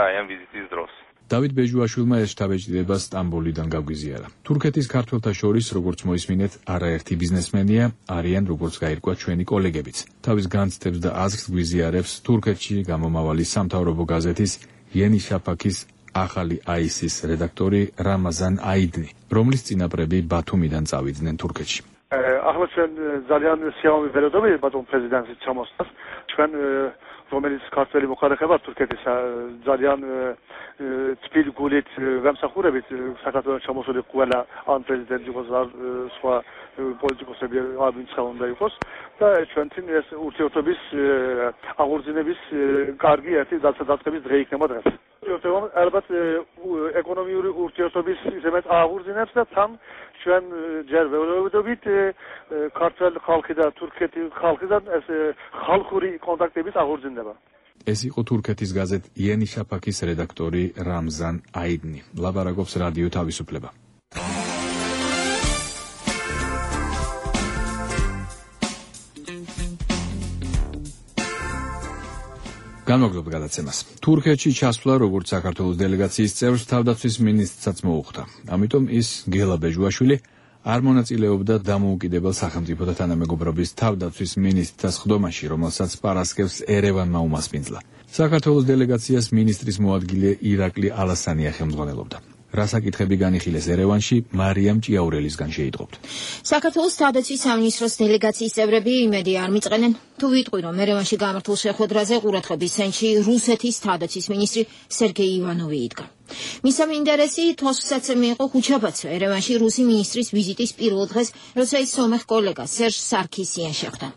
ამ ვიზიტის დროს. დავით ბეჟუაშვილმა ეს შთაბეჭდილება სტამბოლიდან გაგვიზიარა. თურქეთის ქართველთა შორის, როგორც მოისმინეთ, არაერთი ბიზნესმენია, არიან როგორც გაირკვა ჩვენი კოლეგებიც. თავის განცდებს და აზრს გვიზიარებს თურქეთში გამომავალი სამთავრობო გაზეთის იენი შაფაქის ახალი აისის რედაქტორი რამაზან აიდნი, რომლის წინაპრები ბათუმიდან წავიდნენ თურქეთში. ახლა ჩვენ ძალიან სიამოვნებით ვეროდობთ ბათუმ პრეზიდენტის ჩამოსვლას. ჩვენ რომელიც ქართველი მოხალხეა თურქეთის ძალიან თბილ გულით გამსახურებით საქართველოს ჩამოსული ყველა ამ პრეზიდენტი იყოს სხვა პოლიტიკოსები ვინც უნდა იყოს და ჩვენთვის ეს ურთიერთობის აღორძინების კარგი ერთი დასაწყების დღე იქნება დღეს. ურთიერთობამ ალბათ ეკონომიური ურთიერთობის ისედაც აღორძინებს და თან ჩვენ ჯერ ვეუბნებით ქართულ ხალხი და თურქეთის ხალხიდან ეს ხალხური კონტაქტების აღორძინება. ეს იყო თურქეთის გაზეთ იენი შაფაქის რედაქტორი რამზან აიდნი. ლაბარაკობს რადიო თავისუფლება. განმოგდობ გადაცემას. თურქეთში ჩასვლა, როგორც საქართველოს დელეგაციის წევრს, თავდაცვის მინისტრსაც მოუხდა. ამიტომ ის გელა ბეჟუაშვილი არ მონაწილეობდა დამოუკიდებელ სახელმწიფოთა თანამეგობრობის თავდაცვის მინისტრთა სხდომაში, რომელსაც პარასკევს ერევანმა უმასპინძლა. საქართველოს დელეგაციას მინისტრის მოადგილე ირაკლი ალასანია ხელმძღვანელობდა. რა საკითხები განიხილეს ერევანში, მარიამ ჭიაურელისგან შეიტყობთ. საქართველოს თავდაცვის სამინისტროს დელეგაციის წევრები იმედი არ მიწყენენ, თუ ვიტყვი, რომ ერევანში გამართულ შეხვედრაზე ყურადღების ცენტრში რუსეთის თავდაცვის მინისტრი სერგეი ივანოვი იდგა. მისამე ინტერესი თვალსაცემი იყო ხუჩაბაძე ერევანში რუსი მინისტრის ვიზიტის პირველ დღეს, როცა ის სომეხ კოლეგას სერჟ სარქისიანს შეხვდა.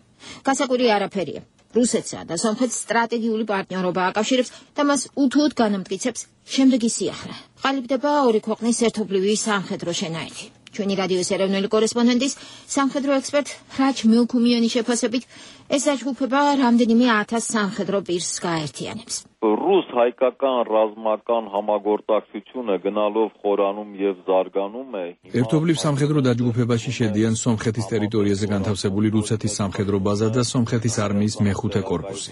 გასაკვირი არაფერია. რუსეთსა და სომხეთს სტრატეგიული პარტნიორობა აკავშირებს და მას უთუოდ განამტკიცებს შემდეგი სიახლე. ყალიბდება ორი ქვეყნის ერთობლივი სამხედრო შენაერთი. ჩვენი რადიოს ეროვნული კორესპონდენტის სამხედრო ექსპერტ რაჯ მილქუმიანის შეფასებით ეს დაჯგუფება რამდენიმე 1000 სამხედრო პირს გაერთიანებს. Ռուս հայկական ռազմական համագործակցությունը գնալով խորանում եւ զարգանում է. ერთობლივ სამხედრო დაჯგუფებაში შედიან სომხეთის ტერიტორიაზე განთავსებული რუსეთის სამხედრო ბაზა და სომხეთის არმიის მეხუთე კორპუსი.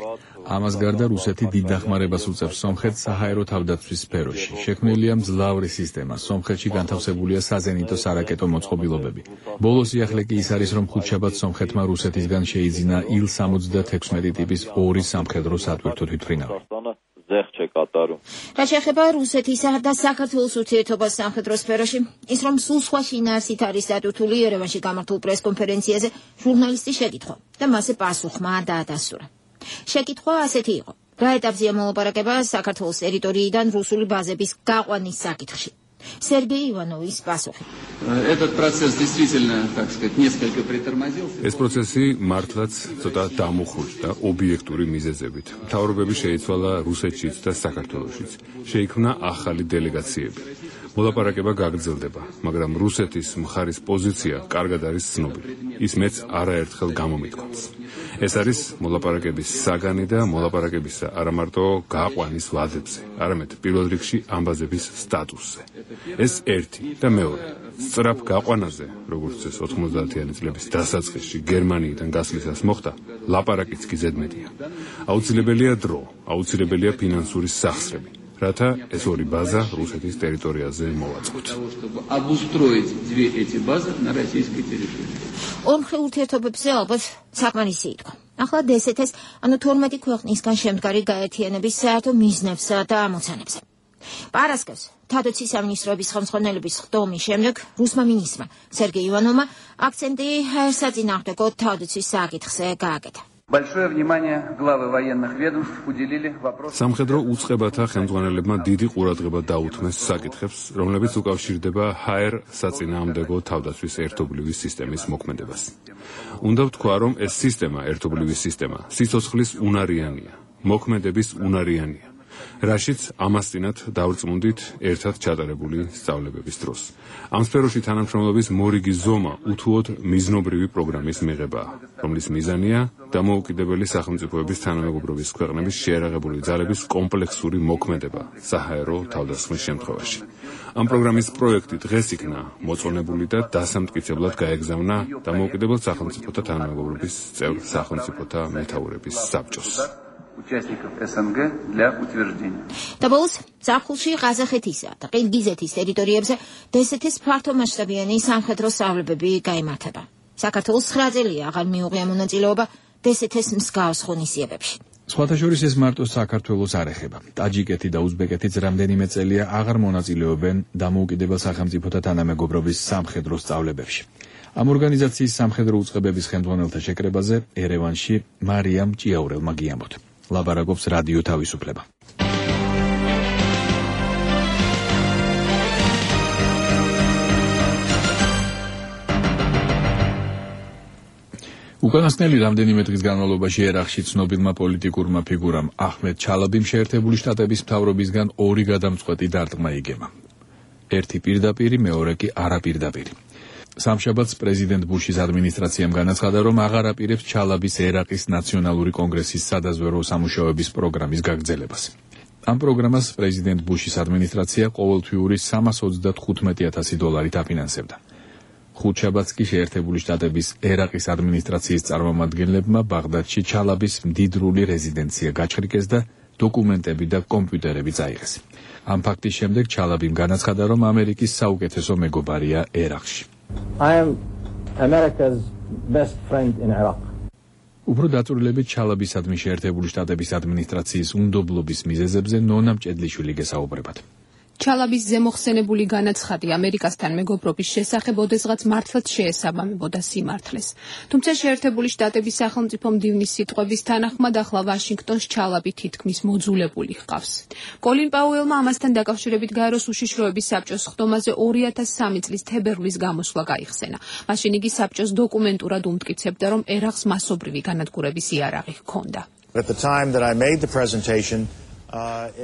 ამას გარდა რუსეთი დიდ დახმარებას უწევს სომხეთს საჰაერო თავდაცვის სფეროში. შექმნილია მძლავრი სისტემა. სომხეთში განთავსებულია საზენიტო სარაკეტო მოწყობილობები. ბოლო სიახლე კი ის არის, რომ ხუთშაბათს სომხეთმა რუსეთისგან შეიძინა Il-76 ტიპის ორი სამხედრო სატვირთო თვითმფრინავი. რა შეეხება რუსეთისა და საქართველოს ურთიერთობას სამხედრო სფეროში, ის რომ სულ სხვა შინაარსით არის დატვირთული ერევანში გამართულ პრესკონფერენციაზე ჟურნალისტის შეკითხვა და მასზე პასუხმა დაადასტურა. შეკითხვა ასეთი იყო: რა ეტაპზეა მოლაპარაკება საქართველოს ტერიტორიიდან რუსული ბაზების გაყვანის საკითხში? Сергей Иванович пасухи. Этот процесс действительно, так сказать, несколько притормозился. ეს პროცესი მართლაც ცოტა დამუხრდა ობიექტური მიზეზებით. მთავრობები შეიცვალა რუსეთშიც და საქართველოშიც. შეიქმნა ახალი დელეგაციები. მოლაპარაკება გაგრძელდება, მაგრამ რუსეთის მხარის პოზიცია კარგად არის ცნობილი. ის მეც არაერთხელ გამომიტყავს. ეს არის მოლაპარაკების საგანი და მოლაპარაკებისა არა მარტო გაყვანის ვადებზე, არამედ პირველ რიგში ამბაზების სტატუსზე. ეს ერთი და მეორე. სწრაფ გაყვანაზე, როგორც ეს 90-იანი წლების დასაწყისში გერმანიიდან გასვლისას მოხდა, ლაპარაკიც კი ზედმეტია. აუცილებელია დრო, აუცილებელია ფინანსური სახსრები. რათა ეს ორი ბაზა რუსეთის ტერიტორიაზე მოვაწყოთ. ორმხრივ ურთიერთობებზე ალბათ საკმარისი იყო. ახლა DST-ს, ანუ 12 ქვეყნისგან შემდგარი გაერთიანების საერთო მიზნებსა და ამოცანებზე. პარასკევს თავდაცვის სამინისტროების ხელმძღვანელობის ხდომის შემდეგ რუსმა მინისტრმა სერგეი ივანოვმა აქცენტი საწინააღმდეგო თავდაცვის საკითხზე გააკეთა. Большое внимание главы военных ведомств уделили вопросу. სამხედრო უწყებათა ხელმძღვანელებმა დიდი ყურადღება დაუთმეს საკითხებს, რომლებიც უკავშირდება ჰაერ საწინააღმდეგო თავდაცვის ერთობლივი სისტემის მოქმედებას. უნდა ვთქვა, რომ ეს სისტემა, ერთობლივი სისტემა, სიცოცხლის უნარიანია, მოქმედების უნარიანია. რაშიც ამასწინათ დავრწმუნდით ერთად ჩატარებული სწავლებების დროს. ამ სფეროში თანამშრომლობის მორიგი ზომა უთუოდ მიზნობრივი პროგრამის მიღებაა, რომლის მიზანია დამოუკიდებელი სახელმწიფოების თანამეგობრობის ქვეყნების შეიარაღებული ძალების კომპლექსური მოქმედება საჰაერო თავდასხმის შემთხვევაში. ამ პროგრამის პროექტი დღეს იქნა მოწონებული და დასამტკიცებლად გაეგზავნა დამოუკიდებელ სახელმწიფოთა თანამეგობრობის წევრ სახელმწიფოთა მეთაურების საბჭოს. Участников СНГ для утверждения. Dabals ზაფხულში ყაზახეთისა და ყირგიზეთის ტერიტორიებზე DST-ს ფართომასშტაბიანი სამხედრო სწავლებები გაიმართება. საქართველოს 9 წელია აღარ მიუღია მონაწილეობა DST-ს მსგავს ღონისძიებებში. სხვათა შორის ეს მარტო საქართველოს არ ეხება. ტაჯიკეთი და უზბეკეთიც რამდენიმე წელია აღარ მონაწილეობენ დამოუკიდებელ სახელმწიფოთა თანამეგობრობის სამხედრო სწავლებებში. ამ ორგანიზაციის სამხედრო უწყებების ხელმძღვანელთა შეკრებაზე ერევანში მარიამ ჭიაურელმა გიამბოთ. ლაბარაკობს რადიო თავისუფლება. უკანასკნელი რამდენიმე დღის განმავლობაში ერაყში ცნობილმა პოლიტიკურმა ფიგურამ აჰმედ ჩალაბიმ შეერთებული შტატების მთავრობისგან 2 გადამწყვეტი დარტყმა იგემა. ერთი პირდაპირი, მეორე კი არაპირდაპირი. სამშაბათს პრეზიდენტ ბუშის ადმინისტრაციამ განაცხადა, რომ აღარ აპირებს ჩალაბის ერაყის ნაციონალური კონგრესის სადაზვერო სამუშაოების პროგრამის გაგრძელებას. ამ პროგრამას პრეზიდენტ ბუშის ადმინისტრაცია ყოველთვიური $325,000 აფინანსებდა. ხუთშაბათს კი შეერთებული შტატების ერაყის ადმინისტრაციის წარმომადგენლებმა ბაღდადში ჩალაბის მდიდრული რეზიდენცია გაჩხრიკეს და დოკუმენტები და კომპიუტერები წაიღეს. ამ ფაქტის შემდეგ ჩალაბიმ განაცხადა, რომ ამერიკის საუკეთესო მეგობარია ერაყში. I am America's best friend in Iraq. უფრო დაწვრილებით ჩალაბისადმი შეერთებული შტატების ადმინისტრაციის უნდობლობის მიზეზებზე ნონა მჭედლიშვილი გესაუბრებათ. ჩალაბის ზემოხსენებული განაცხადი ამერიკასთან მეგობრობის შესახებ ოდესღაც მართლაც შეესაბამებოდა სიმართლეს. თუმცა შეერთებული შტატების სახელმწიფო მდივნის სიტყვების თანახმად ახლა ვაშინგტონს ჩალაბი თითქმის მოძულებული ჰყავს. კოლინ პაუელმა ამასთან დაკავშირებით გაეროს უშიშროების საბჭოს ხდომაზე 2003 წლის თებერვლის გამოსვლა გაიხსენა. მაშინ იგი საბჭოს დოკუმენტურად უმტკიცებდა, რომ ერაყს მასობრივი განადგურების იარაღი ჰქონდა. At the time that I made the presentation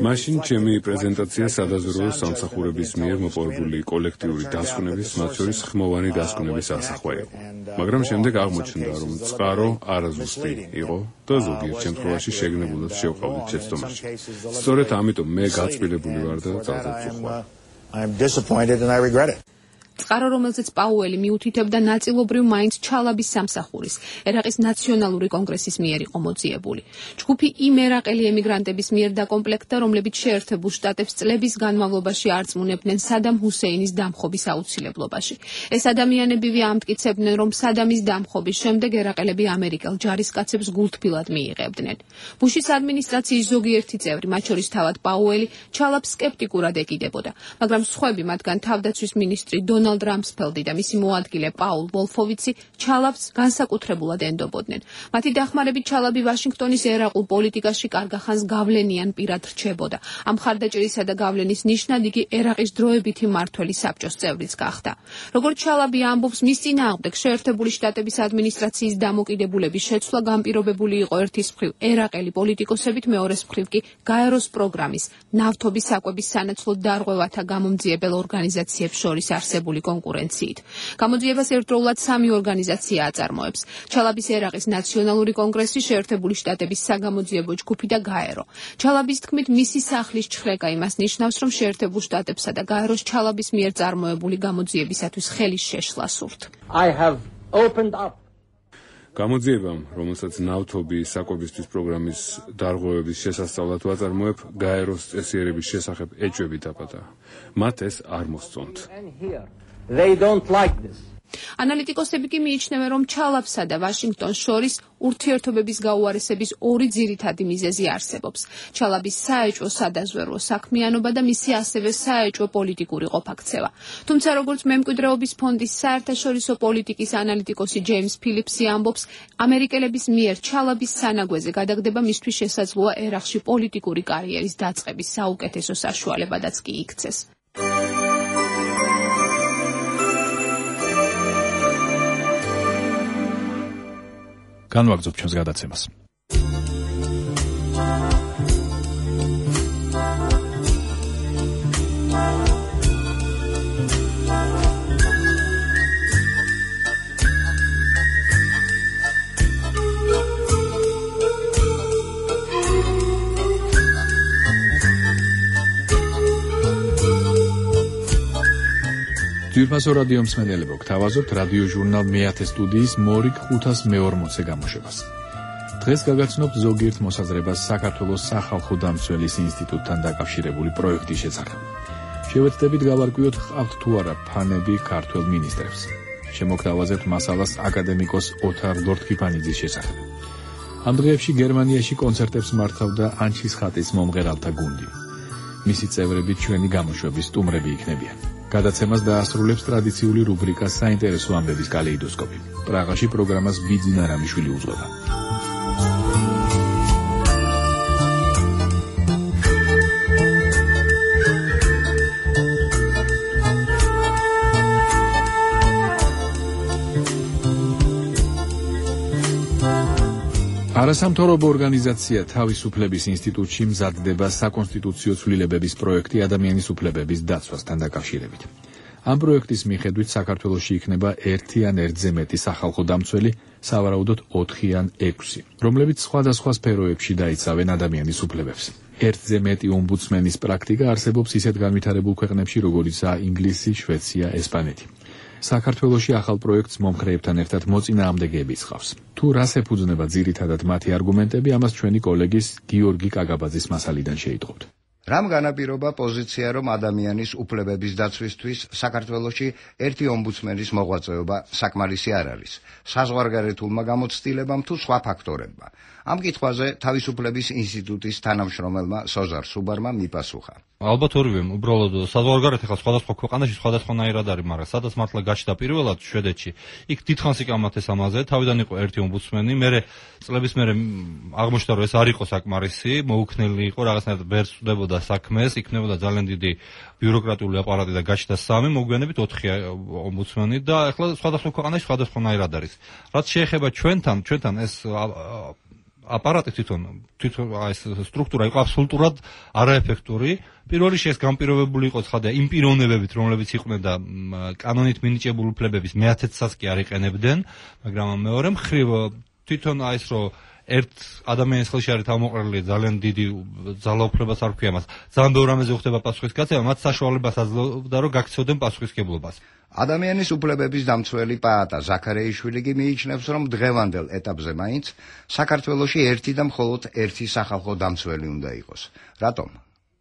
მაშინ ჩემი პრეზენტაცია სადაზვერვო სამსახურების მიერ მოპოვებული კოლექტიური დასკვნების, მათ შორის ხმოვანი დასკვნების ასახვა იყო. მაგრამ შემდეგ აღმოჩნდა, რომ წყარო არაზუსტი იყო და ზოგიერთ შემთხვევაში შეგნებულად შევყავდით შეცდომაში. სწორედ ამიტომ მე გაწყვილებული ვარ და ძალზედ ვწუხვალ. I'm disappointed and I regret it. წყარო, რომელზეც პაუელი მიუთითებდა ნაწილობრივ მაინც ჩალაბის სამსახურის, ერაყის ნაციონალური კონგრესის მიერ იყო მოძიებული. ჯგუფი იმ ერაყელი ემიგრანტების მიერ დაკომპლექტდა, რომლებიც შეერთებულ შტატებს წლების განმავლობაში არწმუნებდნენ სადამ ჰუსეინის დამხობის აუცილებლობაში. ეს ადამიანებივე ამტკიცებდნენ, რომ სადამის დამხობის შემდეგ ერაყელები ამერიკელ ჯარისკაცებს გულთბილად მიიღებდნენ. ბუშის ადმინისტრაციის ზოგიერთი წევრი, მათ შორის თავად პაუელი, ჩალაბს სკეპტიკურად ეკიდებოდა, მაგრამ სხვები, მათგან თავდაცვის მინისტრი დონალდ რამსფელდი და მისი მოადგილე პაულ ვოლფოვიცი ჩალაბს განსაკუთრებულად ენდობოდნენ. მათი დახმარებით ჩალაბი ვაშინგტონის ერაყულ პოლიტიკაში კარგახანს გავლენიან პირად რჩებოდა. ამ მხარდაჭერისა და გავლენის ნიშნად იგი ერაყის დროებითი მმართველი საბჭოს წევრიც გახდა. როგორც ჩალაბი ამბობს, მის წინააღმდეგ შეერთებული შტატების ადმინისტრაციის დამოკიდებულების შეცვლა განპირობებული იყო ერთის მხრივ ერაყელი პოლიტიკოსებით, მეორეს მხრივ კი გაეროს პროგრამის ნავთობის საკვების სანაცვლოდ დარღვევათა გამომძიებელ ორგანიზაციებს შორის არსებული კონკურენციით. გამოძიებას ერთდროულად 3 ორგანიზაცია აწარმოებს: ჩალაბის ერაყის ნაციონალური კონგრესი, შეერთებული შტატების საგამოძიებო ჯგუფი და გაერო. ჩალაბის თქმით, მისი სახლის ჩხრეკა იმას ნიშნავს, რომ შეერთებულ შტატებსა და გაეროს ჩალაბის მიერ წარმოებული გამოძიებისათვის ხელის შეშლა სურთ. I have opened up. გამოძიებამ, რომელსაც ნავთობის საკვებისთვის პროგრამის დარღვევების შესასწავლად ვაწარმოებ, გაეროს წესიერების შესახებ ეჭვები დაბადა. მათ ეს არ მოსწონთ. They don't like this. ანალიტიკოსები კი მიიჩნევენ, რომ ჩალაბსა და ვაშინგტონს შორის ურთიერთობების გაუარესების ორი ძირითადი მიზეზი არსებობს. ჩალაბის საეჭვო სადაზვერვო საქმიანობა და მისი ასევე საეჭვო პოლიტიკური ყოფაქცევა. თუმცა როგორც მემკვიდრეობის ფონდის საერთაშორისო პოლიტიკის ანალიტიკოსი ჯეიმს ფილიპსი ამბობს, ამერიკელების მიერ ჩალაბის სანაგვეზე გადაგდება მისთვის შესაძლოა ერაყში პოლიტიკური კარიერის დაწყების საუკეთესო საშუალებადაც კი იქცეს. განვაგრძობ ჩვენს გადაცემას. ძვირფასო რადიო მსმენელებო, გთავაზობთ რადიო ჟურნალ მე-10 სტუდიის მორიგ 540-ე გამოშვებას. დღეს გაგაცნობთ ზოგიერთ მოსაზრებას საქართველოს სახალხო დამცველის ინსტიტუტთან დაკავშირებული პროექტის შესახებ. შევეცდებით გავარკვიოთ, ჰყავთ თუ არა ფანები ქართველ მინისტრებს. შემოგთავაზებთ მასალას აკადემიკოს ოთარ ლორთქიფანიძის შესახებ. ამ დღეებში გერმანიაში კონცერტებს მართავდა ანჩის ხატის მომღერალთა გუნდი. მისი წევრები ჩვენი გამოშვების სტუმრები იქნებიან. გადაცემას დაასრულებს ტრადიციული რუბრიკა საინტერესო ამბების კალეიდოსკოპი. პრაღაში პროგრამას ბიძინა რამიშვილი უძღვება. არასამთავრობო ორგანიზაცია თავისუფლების ინსტიტუტში მზადდება საკონსტიტუციო ცვლილებების პროექტი ადამიანის უფლებების დაცვასთან დაკავშირებით. ამ პროექტის მიხედვით საქართველოში იქნება 1 ან 1-ზე მეტი სახალხო დამცველი, სავარაუდოდ 4 ან 6, რომლებიც სხვადასხვა სფეროებში დაიცავენ ადამიანის უფლებებს. 1-ზე მეტი ომბუდსმენის პრაქტიკა არსებობს ისეთ განვითარებულ ქვეყნებში, როგორიცაა ინგლისი, შვეიცარია, ესპანეთი. საქართველოში ახალ პროექტს მომხრეებთან ერთად მოწინააღმდეგეებიც ხავს. თუ რას ეფუძნება ძირითადად მათი არგუმენტები, ამას ჩვენი კოლეგის გიორგი კაგაბაძის მასალიდან შეიტყობთ. რამ განაპირობა პოზიცია, რომ ადამიანის უფლებების დაცვისთვის საქართველოში 1 ომბუდსმენის მოღვაწეობა საკმარისი არ არის, საზღვარგარეთულმა გამოცდილებამ თუ სხვა ფაქტორებმა. ამ კითხვაზე თავისუფლების ინსტიტუტის თანამშრომელმა სოზარ სუბარმა მიპასუხა. ალბათ ორივე, უბრალოდ საზღვარგარეთ ახლა სხვადასხვა ქვეყანაში სხვადასხვანაირად არის, მაგრამ სადაც მართლა გაჩნდა პირველად შვედეთში, იქ დიდხანს იკამათეს ამაზე, თავიდან იყო 1 ომბუდსმენი, მერე წლების მერე აღმოჩნდა, რომ ეს არ იყო საკმარისი, მოუქნელი იყო, რაღაცნაირად ვერ სწდებოდა საქმეს, იქნებოდა ძალიან დიდი ბიუროკრატიული აპარატი და გაჩნდა 3, მოგვიანებით 4 ომბუდსმენი და ახლა სხვადასხვა ქვეყანაში სხვადასხვანაირად არის. რაც შეეხება ჩვენთან ეს აპარატი თვითონ ეს სტრუქტურა იყო აბსოლუტურად არაეფექტური. პირველ რიგში ეს განპირობებული იყო ცხადია იმ პიროვნებებით, რომლებიც იყვნენ და კანონით მინიჭებული უფლებების მე-10-საც კი არ იყენებდნენ, მაგრამ მეორე მხრივ თვითონ ეს რომ ერთ ადამიანის ხელში არის თავმოყრილი ძალიან დიდი ძალაუფლებას არ ქვია მას. ძალიან ბევრ რამეზე ხდება პასუხისგაცემა, მათ საშუალებას აძლევდა, რომ გაქცევდნენ პასუხისგებლობას. ადამიანის უფლებების დამცველი პაატა ზაქარეიშვილი კი მიიჩნევს, რომ დღევანდელ ეტაპზე მაინც საქართველოში 1 და მხოლოდ 1 სახალხო დამცველი უნდა იყოს. რატომ?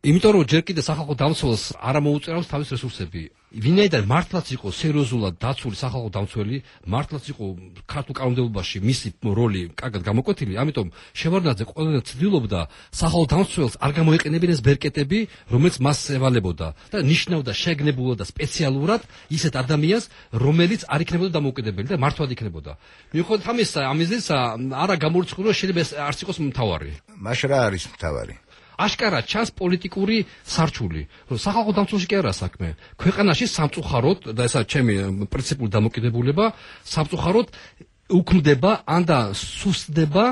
იმიტომ რომ ჯერ კიდე სახალხო დამცველს არ მოუწევს თავის რესურსები. ვინაიდან მართლაც იყო სერიოზულად დაცული სახალხო დამცველი, მართლაც იყო ქართულ კანონმდებლობაში მისი როლი კარგად გამოკვეთილი, ამიტომ შევარდნაძე ყველა ცდილობდა სახალხო დამცველს არ გამოეყენებინეს ბერკეტები, რომელიც მას ევალებოდა და ნიშნავდა შეგნებულად და სპეციალურად ისეთ ადამიანს, რომელიც არ იქნებოდა დამოუკიდებელი და მართლად იქნებოდა. მიუხედავად ამისა, არა გამორიცხული, რომ შეიძლება ეს არც იყოს მთავარი. მაშ რა არის მთავარი? აშკარად ჩანს პოლიტიკური სარჩული. სახალხო დამცველში კი არა საქმე. ქვეყანაში სამწუხაროდ და ესა ჩემი პრინციპული დამოკიდებულება, სამწუხაროდ უქმდება ან და სუსტდება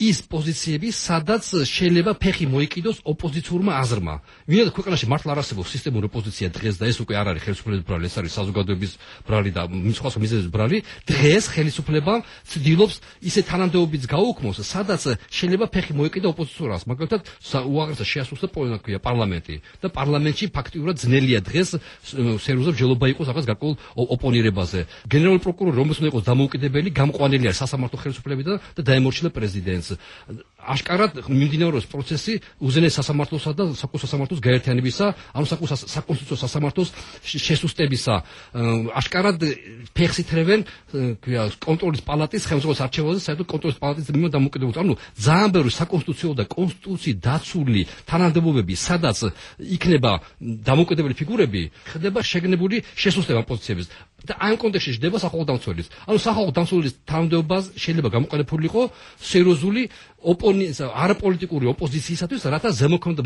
ის პოზიციები, სადაც შეიძლება ფეხი მოიკიდოს ოპოზიციურმა აზრმა. ვინაიდან ქვეყანაში მართლა არ არსებობს სისტემური ოპოზიცია დღეს და ეს უკვე არ არის ხელისუფლების ბრალი, ეს არის საზოგადოების ბრალი და სხვა მიზეზების ბრალი. დღეს ხელისუფლება ცდილობს ისე თანამდებობებს გაუქმოს, სადაც შეიძლება ფეხი მოიკიდოს ოპოზიციურს. მაგალითად, უაღრესად შეასრულა პარლამენტი და პარლამენტში ფაქტიურად ძნელია დღეს სერიოზულად მსჯელობა იყოს რაღაც გარკვეულ ოპონირებაზე. გენერალური პროკურორი, რომელსაც უნდა იყოს დამოუკიდებელი, გამყვანილი არის სასამართლო ხელისუფლებიდან და დაემორჩილა პრეზიდენტს. აშკარად მიმდინარეობს პროცესი უზენაეს სასამართლოსა და საკონსტიტუციო სასამართლოს გაერთიანებისა, ანუ საკონსტიტუციო სასამართლოს შესუსტებისა. აშკარად ფეხს ითრევენ კონტროლის პალატის ხელმძღვანელის არჩევაზე, საერთოდ კონტროლის პალატის მიმართ დამოუკიდებლობას. ანუ ძალიან ბევრი საკონსტიტუციო და კონსტიტუციით დაცული თანამდებობები, სადაც იქნება დამოუკიდებელი ფიგურები, ხდება შეგნებული შესუსტება პოზიციების. და ამ კონტექსტში ხდება სახალხო დამცველის. ანუ სახალხო დამცველის თანამდებობას შეიძლება გამოყენებულიყო სერიოზული არაპოლიტიკური ოპოზიციისათვის, რათა ზემოქმედა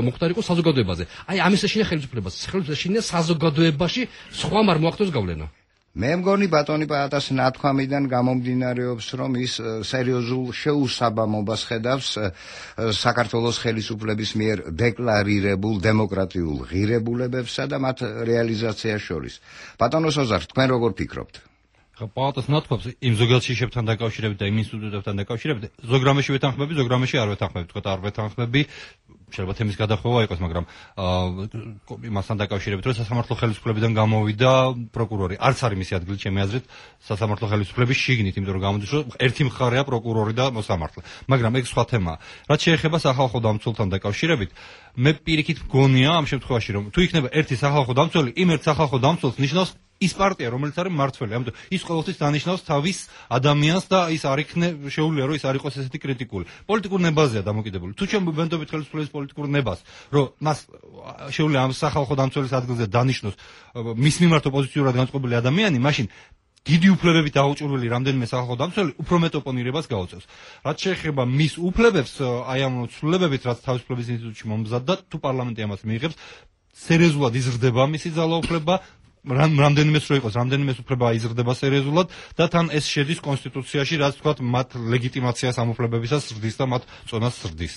მოხდარიყო საზოგადოებაზე. აი ამის ეშინია ხელისუფლებას. ხელისუფლებას ეშინია საზოგადოებაში სხვა არ მოახდენს გავლენა. მე მგონი ბატონი პაატას ნათქვამიდან გამომდინარეობს, რომ ის სერიოზულ შეუსაბამობას ხედავს საქართველოს ხელისუფლების მიერ დეკლარირებულ დემოკრატიულ ღირებულებებსა და მათ რეალიზაციას შორის. ბატონო სოზარ, თქვენ როგორ ფიქრობთ? პაატას ნათქვამს იმ ზოგადად შეშებთან დაკავშირებით და იმ ინსტიტუტებთან დაკავშირებით ზოგ რამეში ვეთანხმები, ზოგ რამეში არ ვეთანხმები, თქვა არ ვეთანხმები. შეიძლება თემის გადახვევა იყოს, მაგრამ იმასთან დაკავშირებით, რომ სასამართლო ხელისუფლებიდან გამოვიდა პროკურორი. არც არის მისი ადგილი ჩემი აზრით სასამართლო ხელისუფლების შიგნით, იმიტომ რომ გამოდის, რომ ერთი მხარეა პროკურორი და მოსამართლე. მაგრამ ეგ სხვა თემაა. რაც შეეხება სახალხო დამცველთან დაკავშირებით, მე პირიქით მგონია ამ შემთხვევაში, რომ თუ იქნება ერთი სახალხო დამცველი, იმ ერთ სახალხო დამცველს ნიშნავს ის პარტია, რომელიც არის მმართველი. ამიტომ ის ყოველთვის დანიშნავს თავის ადამიანს და ის არ შეუძლია, რომ ის არ იყოს ესეთი კრიტიკული. პოლიტიკურ ნებაზეა დამოკიდებული. თუ ჩვენ ვბენდობით ხელისუფლების პოლიტიკურ ნებას, რომ მას შეუძლია ამ სახალხო დამცველის ადგილზე დანიშნოს მის მიმართ ოპოზიციურად განწყობილი ადამიანი, მაშინ დიდი უფლებებით დაუჭურველი რამდენიმე სახალხო დამცველი უფრო მეტ ოპონირებას გაუწევს. რაც შეეხება მის უფლებებს, აი ამ ცვლილებებით, რაც თავისუფლების ინსტიტუტში მომზადდა, თუ პარლამენტი ამას მიიღებს, სერიოზულად იზრდება მისი ძალაუფლება. რამდენიმეს რო იყოს, რამდენიმეს უფლება იზრდება სერიოზულად და თან ეს შედის კონსტიტუციაში, რაც თქვათ მათ ლეგიტიმაციას ამ უფლებებისას ზრდის და მათ წონას ზრდის.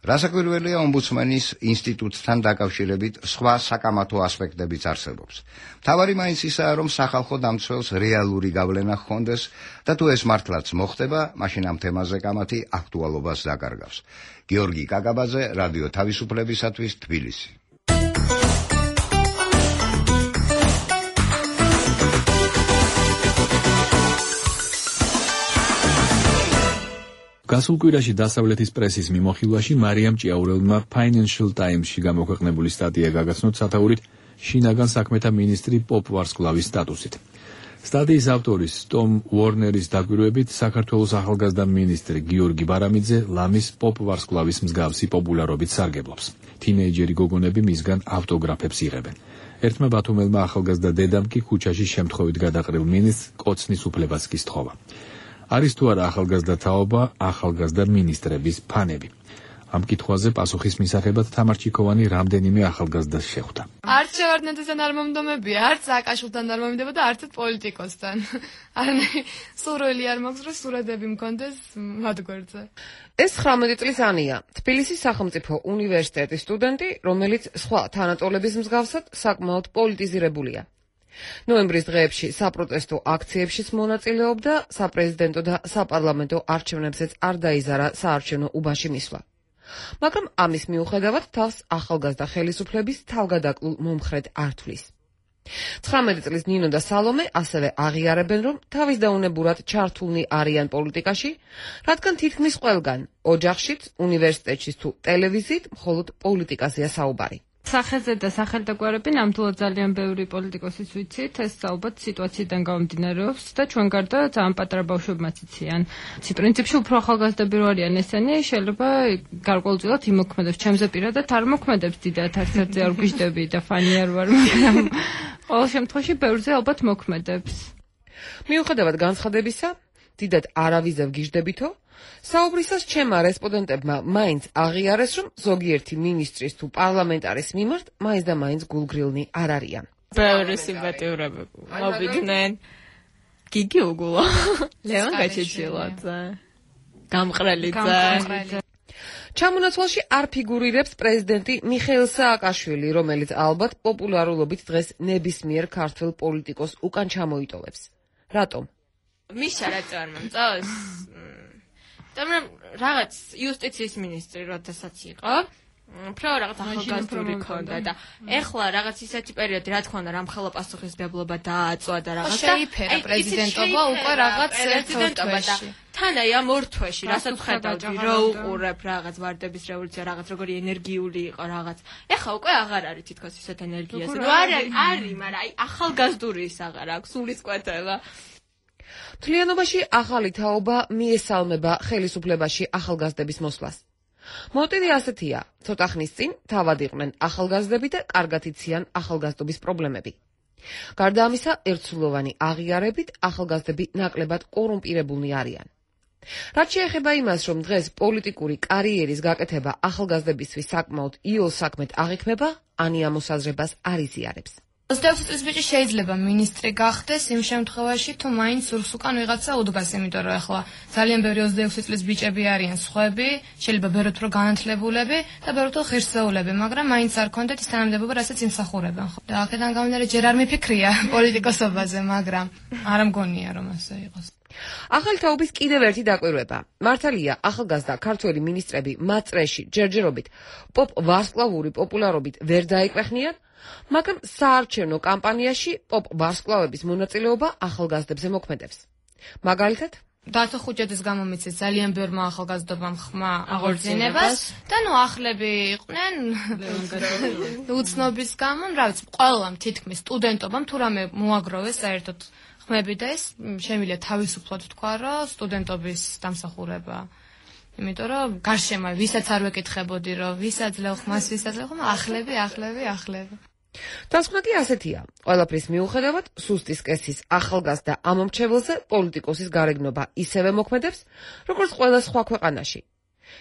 რასაკვირველია, ომბუდსმენის ინსტიტუტთან დაკავშირებით სხვა საკამათო ასპექტებიც არსებობს. მთავარი მაინც ისაა, რომ სახალხო დამცველს რეალური გავლენა ჰქონდეს და თუ ეს მართლაც მოხდება, მაშინ ამ თემაზე კამათი აქტუალობას დაკარგავს. გიორგი კაკაბაძე, რადიო თავისუფლებისათვის, თბილისი. გასულ კვირაში დასავლეთის პრესის მიმოხილვაში მარიამ ჭიაურელმა Financial Times-ში გამოქვეყნებული სტატია გაგაცნოთ სათაურით შინაგან საქმეთა მინისტრი პოპ ვარსკვლავის სტატუსით. სტატიის ავტორის ტომ უორნერის დაკვირვებით საქართველოს ახალგაზრდა მინისტრი გიორგი ბარამიძე ლამის პოპ ვარსკვლავის მსგავსი პოპულარობით სარგებლობს. თინეიჯერი გოგონები მისგან ავტოგრაფებს იღებენ. ერთმა ბათუმელმა ახალგაზრდა დედამ კი ქუჩაში შემთხვევით გადაყრილ მინისტრს კოცნის უფლებას კი სთხოვა. არის თუ არა ახალგაზრდა თაობა, ახალგაზრდა მინისტრების ფანები. ამ კითხვაზე პასუხის მისაღებად თამარ ჩიქოვანი რამდენიმე ახალგაზრდას შეხვდა. არც შევარდნაძესთან არ მომდომებია, არც სააკაშვილთან არ მომიდება და არც პოლიტიკოსთან. არანაირი სურვილი არ მაქვს, რომ სურათები მქონდეს მათ გვერდზე. ეს 19 წლის ანია, თბილისის სახელმწიფო უნივერსიტეტის სტუდენტი, რომელიც სხვა თანატოლების მსგავსად საკმაოდ პოლიტიზირებულია. ნოემბრის დღეებში საპროტესტო აქციებშიც მონაწილეობდა, საპრეზიდენტო და საპარლამენტო არჩევნებზეც არ დაიზარა საარჩევნო უბანში მისვლა. მაგრამ ამის მიუხედავად თავს ახალგაზრდა ხელისუფლების თავგადაკლულ მომხრედ არ თვლის. 19 წლის ნინო და სალომე ასევე აღიარებენ, რომ თავის დაუნებურად ჩართულნი არიან პოლიტიკაში, რადგან თითქმის ყველგან, ოჯახშიც, უნივერსიტეტშიც თუ ტელევიზიით მხოლოდ პოლიტიკაზეა საუბარი. სახეზე და სახელდაგვარები ნამდვილად ძალიან ბევრი პოლიტიკოსის ვიცით, ეს ალბათ სიტუაციიდან გამომდინარეობს და ჩვენ გარდა ძალიან პატარა ბავშვებმაც იციან. პრინციპში უფრო ახალგაზრდები რო არიან ესენი, შეიძლება გარკვეულწილად იმოქმედებს. ჩემზე პირადად არ მოქმედებს დიდად, არცერთზე არ გვიждები და ფანი არ ვარ, მაგრამ ყოველ შემთხვევაში ბევრზე ალბათ მოქმედებს. მიუხედავად განცხადებისა, დიდად არავიზევ გიждებითო, საუბრისას ჩემმა რესპონდენტებმა მაინც აღიარეს, რომ ზოგიერთი მინისტრის თუ პარლამენტარის მიმართ მაინც და მაინც გულგრილნი არ არიან. ბევრი სიმპათიურები მოვიდნენ. გიგი უგულა, ლევან გაჩეჩილაძე, გამყრელიძე. ჩამონაცვალში არ ფიგურირებს პრეზიდენტი მიხეილ სააკაშვილი, რომელიც ალბათ პოპულარულობით დღეს ნებისმიერ ქართველ პოლიტიკოს უკან ჩამოიტოვებს. რატომ? მიშა რატო არ მომწონს? მაგრამ რაღაც იუსტიციის მინისტრი როდესაც იყო, უფრო რაღაც ახალგაზრდული ქონდა და ეხლა რაღაც ისეთი პერიოდი, რა თქმა უნდა, რამხელა პასუხისმგებლობა დააწვა და რაღაც შეიფერა პრეზიდენტობა უკვე რაღაც ერთ თვეში. თან აი ამ ორ თვეში რასაც ხედავდი, რა უყურებ რაღაც ვარდების რევოლუცია, რაღაც როგორი ენერგიული იყო რაღაც. ეხლა უკვე აღარ არის თითქოს ისეთ ენერგიას. ნუ არის, მაგრამ აი ახალგაზრდური ის აღარ აქვს, სულისკვეთება. მთლიანობაში ახალი თაობა მიესალმება ხელისუფლებაში ახალგაზრდების მოსვლას. მოტივი ასეთია: ცოტა ხნის წინ თავად იყვნენ ახალგაზრდები და კარგად იციან ახალგაზრდობის პრობლემები. გარდა ამისა, ერთსულოვანი აღიარებით ახალგაზრდები ნაკლებად კორუმპირებულნი არიან. რაც შეეხება იმას, რომ დღეს პოლიტიკური კარიერის გაკეთება ახალგაზრდებისთვის საკმაოდ იოლ საქმედ აღიქმება, ანი ამ მოსაზრებას არ იზიარებს. 26 წლის ბიჭი შეიძლება მინისტრი გახდეს იმ შემთხვევაში, თუ მაინც სურს უკან ვიღაცა უდგას, იმიტომ რომ ახლა ძალიან ბევრი 26 წლის ბიჭები არიან სხვები, შეიძლება ბევრად უფრო განათლებულები და ბევრად უფრო ღირსეულები, მაგრამ მაინც არ ქონდეთ ის თანამდებობა, რასაც იმსახურებენ. და აქედან გამომდინარე ჯერ არ მიფიქრია პოლიტიკოსობაზე, მაგრამ არ მგონია რომ ასე იყოს. ახალი თაობის კიდევ ერთი დაკვირვება. მართალია, ახალგაზრდა ქართველი მინისტრები მათ წრეში ჯერჯერობით პოპ ვარსკვლავური პოპულარობით ვერ დაეკვეხნიან, მაგრამ საარჩევნო კამპანიაში პოპ ვარსკვლავების მონაწილეობა ახალგაზრდებზე მოქმედებს. მაგალითად, დათო ხუჭეძის გამომიცეს ძალიან ბევრმა ახალგაზრდობამ ხმა აღორძინებას და ნუ ახლები იყვნენ უცნობის გამო, რა ვიცი, ყველამ თითქმის სტუდენტობამ თუ რამე მოაგროვეს საერთოდ ხმები და ეს შემიძლია თავისუფლად თქვა, რომ სტუდენტობის დამსახურება. იმიტომ რომ გარშემო ვისაც არ ვეკითხებოდი, რომ ვის აძლევ ხმას, ვის აძლევ ხმა, ახლები. დასკვნა კი ასეთია. ყველაფრის მიუხედავად, სუსტის კესის ახალგაზრდა ამომრჩეველზე პოლიტიკოსის გარეგნობა ისევე მოქმედებს, როგორც ყველა სხვა ქვეყანაში.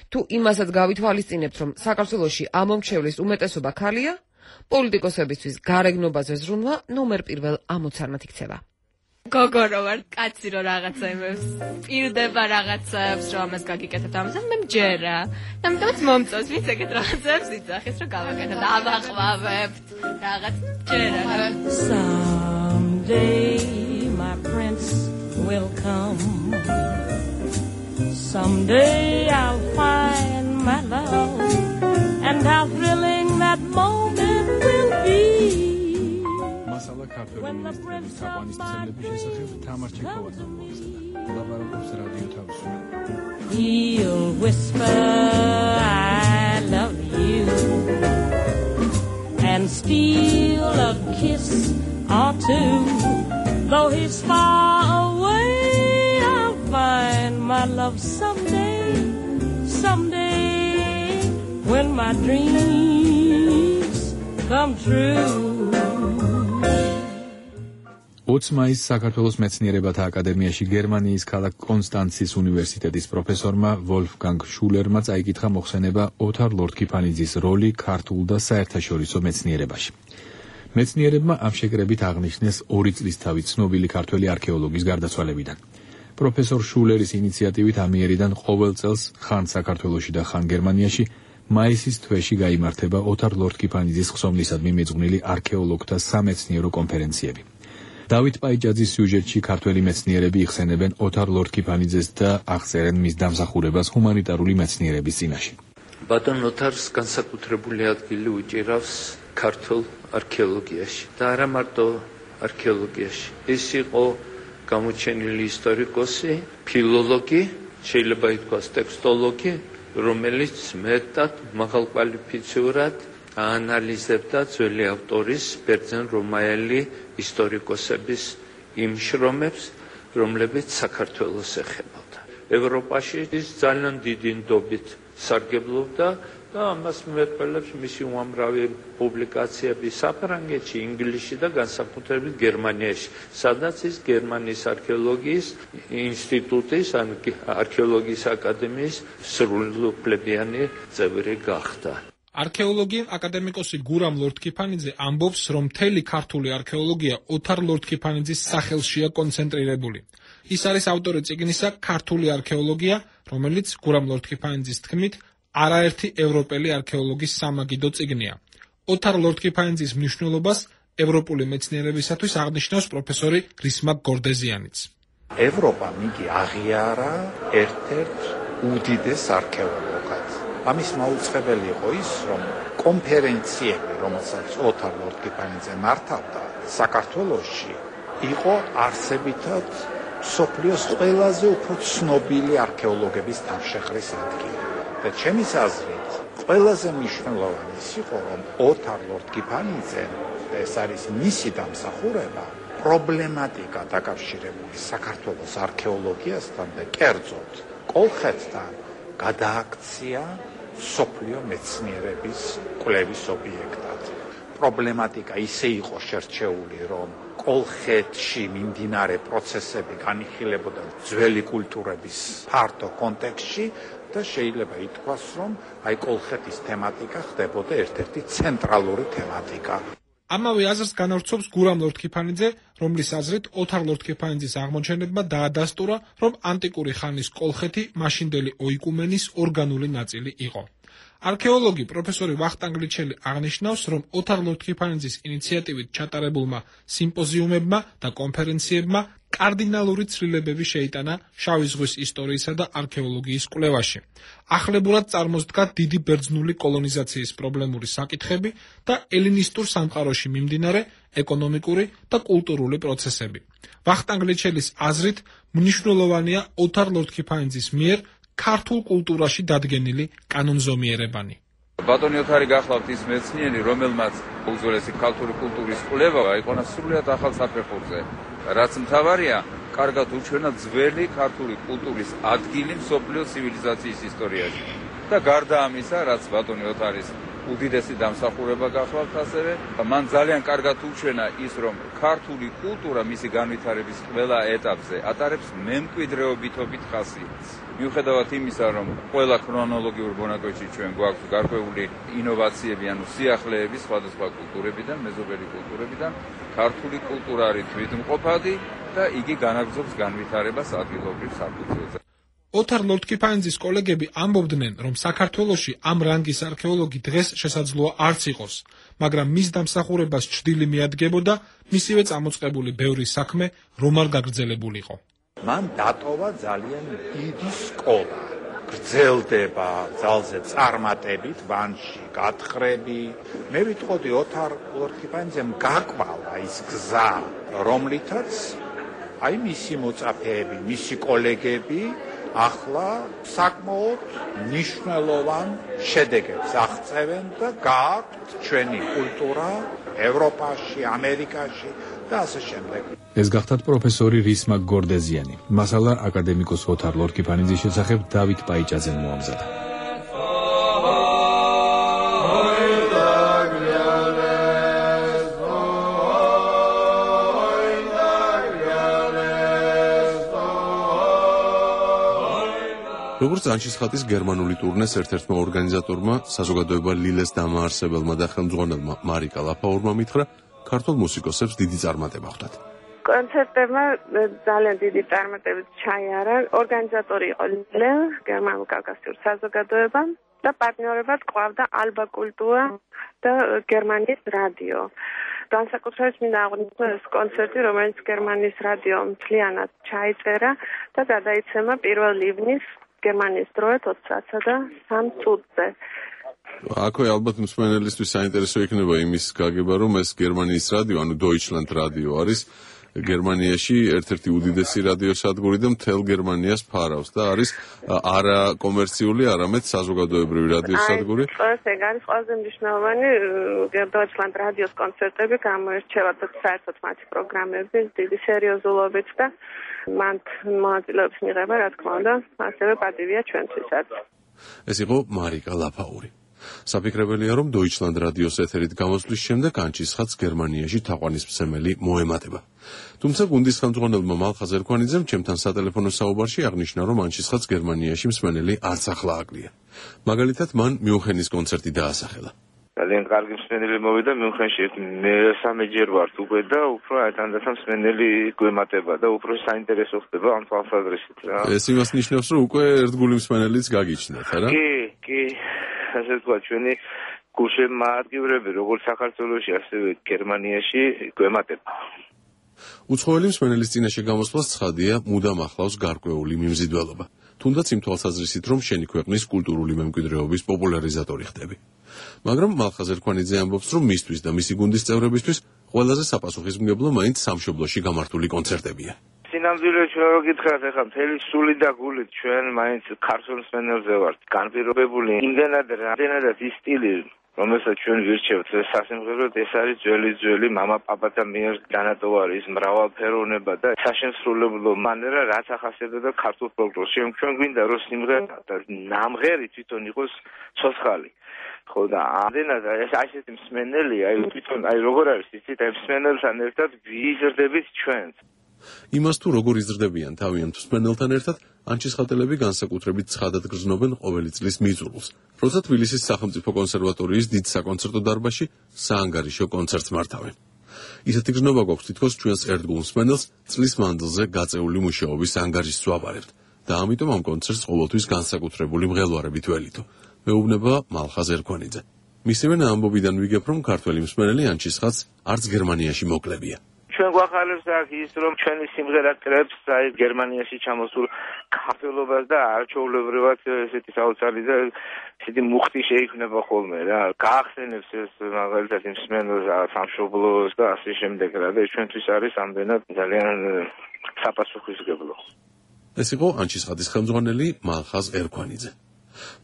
თუ იმასაც გავითვალისწინებთ, რომ საქართველოში ამომრჩევლის უმეტესობა ქალია, პოლიტიკოსებისთვის გარეგნობაზე ზრუნვა ნომერ პირველ ამოცარნად იქცევა. გოგო რო ვარ, კაცი რო რაღაცა იმებს პირდება რაღაცებს, რომ ამას გაგიკეთებ ამას, მე მჯერა. ამიტომაც მომწონს ვინც ეგეთ რაღაცებს იცახის, რომ გავაკეთებ და ავაყვავებთ რაღაც მჯერა. Someday my prince will come. Someday I'll find my love and how thrilling that moment will be. მასალა ქართული მინისტრების თაყვანისმცემლების შესახებ თამარ ჩექოვაძემ მოიხსნა. ლაბარაკობს რადიო თავისუფლება. He'll whisper I love you and steal a kiss or two. Though he's far away, I'll find my love someday when my dreams come true. 20 მაისს საქართველოს მეცნიერებათა აკადემიაში გერმანიის ქალაქ კონსტანცის უნივერსიტეტის პროფესორმა ვოლფგანგ შულერმა წაიკითხა მოხსენება ოთარ ლორთქიფანიძის როლი ქართულ და საერთაშორისო მეცნიერებაში. მეცნიერებმა ამ შეკრებით აღნიშნეს 2 წლისთავით ცნობილი ქართველი არქეოლოგის გარდაცვალებიდან. პროფესორ შულერის ინიციატივით ამიერიდან ყოველ წელს ხან საქართველოში და ხან გერმანიაში მაისის თვეში გაიმართება ოთარ ლორთქიფანიძის ხსოვნისადმი მიძღვნილი არქეოლოგთა სამეცნიერო კონფერენციები. დავით პაიჭაძის სიუჟეტში ქართველი მეცნიერები იხსენებენ ოთარ ლორთქიფანიძეს და აღწერენ მის დამსახურებას ჰუმანიტარული მეცნიერების წინაშე. ბატონ ოთარს განსაკუთრებული ადგილი უჭირავს ქართულ არქეოლოგიაში და არა მარტო არქეოლოგიაში. ის იყო გამოჩენილი ისტორიკოსი, ფილოლოგი, შეიძლება ითქვას ტექსტოლოგი, რომელიც მეტად მაღალკვალიფიციურად აანალიზებდა ძველი ავტორის ბერძენ-რომაელი ისტორიკოსების იმ შრომებს, რომლებიც საქართველოს ეხებოდა. ევროპაში ის ძალიან დიდი ნდობით სარგებლობდა და ამას მიმეტყველებს მისი უამრავი პუბლიკაციები საფრანგეთში, ინგლისში და განსაკუთრებით გერმანიაში, სადაც ის გერმანიის არქეოლოგიის ინსტიტუტის, ან არქეოლოგიის აკადემიის სრულუფლებიანი წევრი გახდა. არქეოლოგი აკადემიკოსი გურამ ლორთქიფანიძე ამბობს, რომ მთელი ქართული არქეოლოგია ოთარ ლორთქიფანიძის სახელშია კონცენტრირებული. ის არის ავტორი წიგნისა ქართული არქეოლოგია, რომელიც გურამ ლორთქიფანიძის თქმით არაერთი ევროპელი არქეოლოგის სამაგიდო წიგნია. ოთარ ლორთქიფანიძის მნიშვნელობას ევროპული მეცნიერებისათვის აღნიშნავს პროფესორი რისმაკ გორდეზიანიც. ევროპამ იგი აღიარა ერთ-ერთ უდიდეს არქეოლოგად. ამის მაუწყებელი იყო ის, რომ კონფერენციები, რომელსაც ოთარ ლორთქიფანიძე მართავდა საქართველოში, იყო არსებითად სოფლიოს ყველაზე უფრო ცნობილი არქეოლოგების თავშეყრის ადგილი. და ჩემის აზრით, ყველაზე მნიშვნელოვანი ის იყო, რომ ოთარ ლორდ-კიფანიძე, ეს არის მისი დამსახურება, პრობლემატიკა დაკავშირებული საქართველოს არქეოლოგიასთან და კერძოდ კოლხეთთან გადააქცია სოფლიო მეცნიერების კვლევის ობიექტად. პრობლემატიკა ისე იყო შერჩეული, რომ კოლხეთში მიმდინარე პროცესები განიხილებოდა ძველი კულტურების ფართო კონტექსტში და შეიძლება ითქვას, რომ აი კოლხეთის თემატიკა ხდებოდა ერთ-ერთი ცენტრალური თემატიკა. ამავე აზრს განავრცობს გურამ ლორდ-კიფანიძე, რომლის აზრით ოთარ ლორდ-კიფანიძის აღმოჩენებმა დაადასტურა, რომ ანტიკური ხანის კოლხეთი მაშინდელი ოიკუმენის ორგანული ნაწილი იყო. არქეოლოგი პროფესორი ვახტანგ ლიჩელი აღნიშნავს, რომ ოთარ ლორდ-კიფანიძის ინიციატივით ჩატარებულმა სიმპოზიუმებმა და კონფერენციებმა კარდინალური ცვლილებები შეიტანა შავი ზღვის ისტორიისა და არქეოლოგიის კვლევაში. ახლებურად წარმოსდგა დიდი ბერძნული კოლონიზაციის პრობლემური საკითხები და ელინისტურ სამყაროში მიმდინარე ეკონომიკური და კულტურული პროცესები. ვახტანგ ლიჩელის აზრით, მნიშვნელოვანია ოთარ ლორდ-კიფანიძის მიერ ქართულ კულტურაში დადგენილი კანონზომიერებანი. ბატონი ოთარი გახლავთ ის მეცნიერი, რომელმაც უძველესი ქართული კულტურის კვლევა აიყონა სრულიად ახალ საფეხურზე. რაც მთავარია, კარგად უჩვენა ძველი ქართული კულტურის ადგილი მსოფლიო ცივილიზაციის ისტორიაში. და გარდა ამისა, რაც ბატონი ოთარის უდიდესი დამსახურება გახლავთ ასევე, მან ძალიან კარგად უჩვენა ის, რომ ქართული კულტურა მისი განვითარების ყველა ეტაპზე ატარებს მემკვიდრეობითობით ხასიათს. მიუხედავად იმისა, რომ ყველა ქრონოლოგიურ მონაკვეთში ჩვენ გვაქვს გარკვეული ინოვაციები, ანუ სიახლეები სხვადასხვა კულტურებიდან, მეზობელი კულტურებიდან, ქართული კულტურა არის თვითმყოფადი და იგი განაგრძობს განვითარებას ადგილობრივ საფუძველზე. ოთარ ლორდ-კიფანიძის კოლეგები ამბობდნენ, რომ საქართველოში ამ რანგის არქეოლოგი დღეს შესაძლოა არც იყოს, მაგრამ მის დამსახურებას ჭრილი მიადგებოდა მისივე წამოწყებული ბევრი საქმე რომ არ გაგრძელებულიყო. მან დატოვა ძალიან დიდი სკოლა. გრძელდება ძალზე წარმატებით, ბანში გათხრები. მე ვიტყოდი ოთარ ლორდ-კიფანიძემ გაკვალა ის გზა, რომლითაც აი მისი მოწაფეები, მისი კოლეგები ახლა საკმაოდ მნიშვნელოვან შედეგებს აღწევენ და გააქვთ ჩვენი კულტურა ევროპაში, ამერიკაში და ასე შემდეგ. ეს გახდათ პროფესორი რისმაკ გორდეზიანი. მასალა აკადემიკოს ოთარ ლორდ-კიფანიძის შესახებ დავით პაიჭაძემ მოამზადა. როგორც ანჩისხატის გერმანული ტურნეს ერთ-ერთმა ორგანიზატორმა, საზოგადოება ლილეს დამაარსებელმა და ხელმძღვანელმა მარიკა ლაფაურმა მითხრა, ქართულ მუსიკოსებს დიდი წარმატება ხვდათ. კონცერტებმა ძალიან დიდი წარმატებით ჩაიარა. ორგანიზატორი იყო ლილე, გერმანულ კავკასიურ საზოგადოება და პარტნიორებად ყვავდა ალბა კულტურა და გერმანიის რადიო. განსაკუთრებით მინდა აღვნიშნო ეს კონცერტი, რომელიც გერმანიის რადიომ მთლიანად ჩაიწერა და გადაიცემა 1 ივნის გერმანიის დროით 20:03 წუთზე. აქვე ალბათ მსმენელისთვის საინტერესო იქნება იმის გაგება, რომ ეს გერმანიის რადიო, ანუ Deutschland რადიო არის გერმანიაში ერთ-ერთი უდიდესი რადიო სადგური და მთელ გერმანიას ფარავს და არის არა კომერციული, არამედ საზოგადოებრივი რადიო სადგური. ეს არის ყველაზე მნიშვნელოვანი Deutschland რადიოს კონცერტები გამოირჩევა და საერთოდ მათი პროგრამები დიდი სერიოზულობით და მან მონაწილეობის მიღება, რა თქმა უნდა, ასევე პატივია ჩვენთვისაც. ეს იყო მარიკა ლაფაური. საფიქრებელია, რომ Deutschland რადიოს ეთერით გამოსვლის შემდეგ ანჩისხატს გერმანიაში თაყვანისმცემელი მოემატება. თუმცა გუნდის ხელმძღვანელმა მალხაზ ერქვანიძემ ჩემთან სატელეფონო საუბარში აღნიშნა, რომ ანჩისხატს გერმანიაში მსმენელი არც ახლა აკლია. მაგალითად, მან მიუნხენის კონცერტი დაასახელა. ძალიან კარგი მსმენელი მოვიდა მიუნხენში, მესამეჯერ ვართ უკვე და უფრო თანდათან მსმენელი გვემატება და უფრო საინტერესო ხდება ამ თვალსაზრისით რა. ეს იმას ნიშნავს, რომ უკვე ერთგული მსმენელიც გაგიჩნდათ, არა? კი. ასე თქვა, ჩვენი გულშემატკივრები როგორც საქართველოში, ასევე გერმანიაში გვემატება. უცხოელი მსმენელის წინაშე გამოსვლას ცხადია, მუდამ ახლავს გარკვეული მიმზიდველობა. თუნდაც იმ თვალსაზრისით, რომ შენი ქვეყნის კულტურული მემკვიდრეობის პოპულარიზატორი ხდები. მაგრამ მალხაზ ერქვანიძე ამბობს, რომ მისთვის და მისი გუნდის წევრებისთვის ყველაზე საპასუხისმგებლო მაინც სამშობლოში გამართული კონცერტებია. სინამდვილე ჩვენ რო გითხრათ, ეხლა მთელი სული და გულით ჩვენ მაინც ქართულ მსმენელზე ვართ განპირობებული. იმდენად რამდენადაც ის სტილი რომელსაც ჩვენ ვირჩევთ სასიმღეროდ, ეს არის ძველი მამა პაპათა მიერ განატოვარი ის მრავალფეროვნება და საშემსრულებლო მანერა, რაც ახასიათებდა ქართულ ფოლკლორს. ჩვენ გვინდა რომ სიმღერა და ნამღერი თვითონ იყოს ცოცხალი. ხო და ამდენად ეს ასეთი მსმენელი, თვითონ როგორ არის იცით, მსმენელთან ერთად ვიზრდებით ჩვენც. იმას თუ როგორ იზრდებიან თავიანთ მსმენელთან ერთად, ანჩისხატელები განსაკუთრებით ცხადად გრძნობენ ყოველი წლის მიწურულს, როცა თბილისის სახელმწიფო კონსერვატორიის დიდ საკონცერტო დარბაზში საანგარიშო კონცერტს მართავენ. ისეთი გრძნობა გვაქვს თითქოს ჩვენს ერთგულ მსმენელს წლის მანძილზე გაწეული მუშაობის ანგარიშს ვაბარებთ და ამიტომ ამ კონცერტს ყოველთვის განსაკუთრებული მღელვარებით ველითო. მეუბნება მალხაზ ერქვანიძე. მისივე ამბობიდან ვიგებ, რომ ქართველი მსმენელი ანჩისხატს არც გერმანიაში მოკლებია. ჩვენ გვახარებს აქ ის რომ ჩვენი სიმღერა კრებს აი გერმანიაში ჩამოსულ ქართველობას და არჩეულებრივად ესეთი საოცარი და ესეთი მუხტი შეიქმნება ხოლმე რა. გაახსენებს ეს მაგალითად იმ მსმენელს სამშობლოს და ასე შემდეგ რა და ჩვენთვის არის ამდენად ძალიან საპასუხისმგებლო. ეს იყო ანჩისხატის ხელმძღვანელი მალხაზ ერქვანიძე.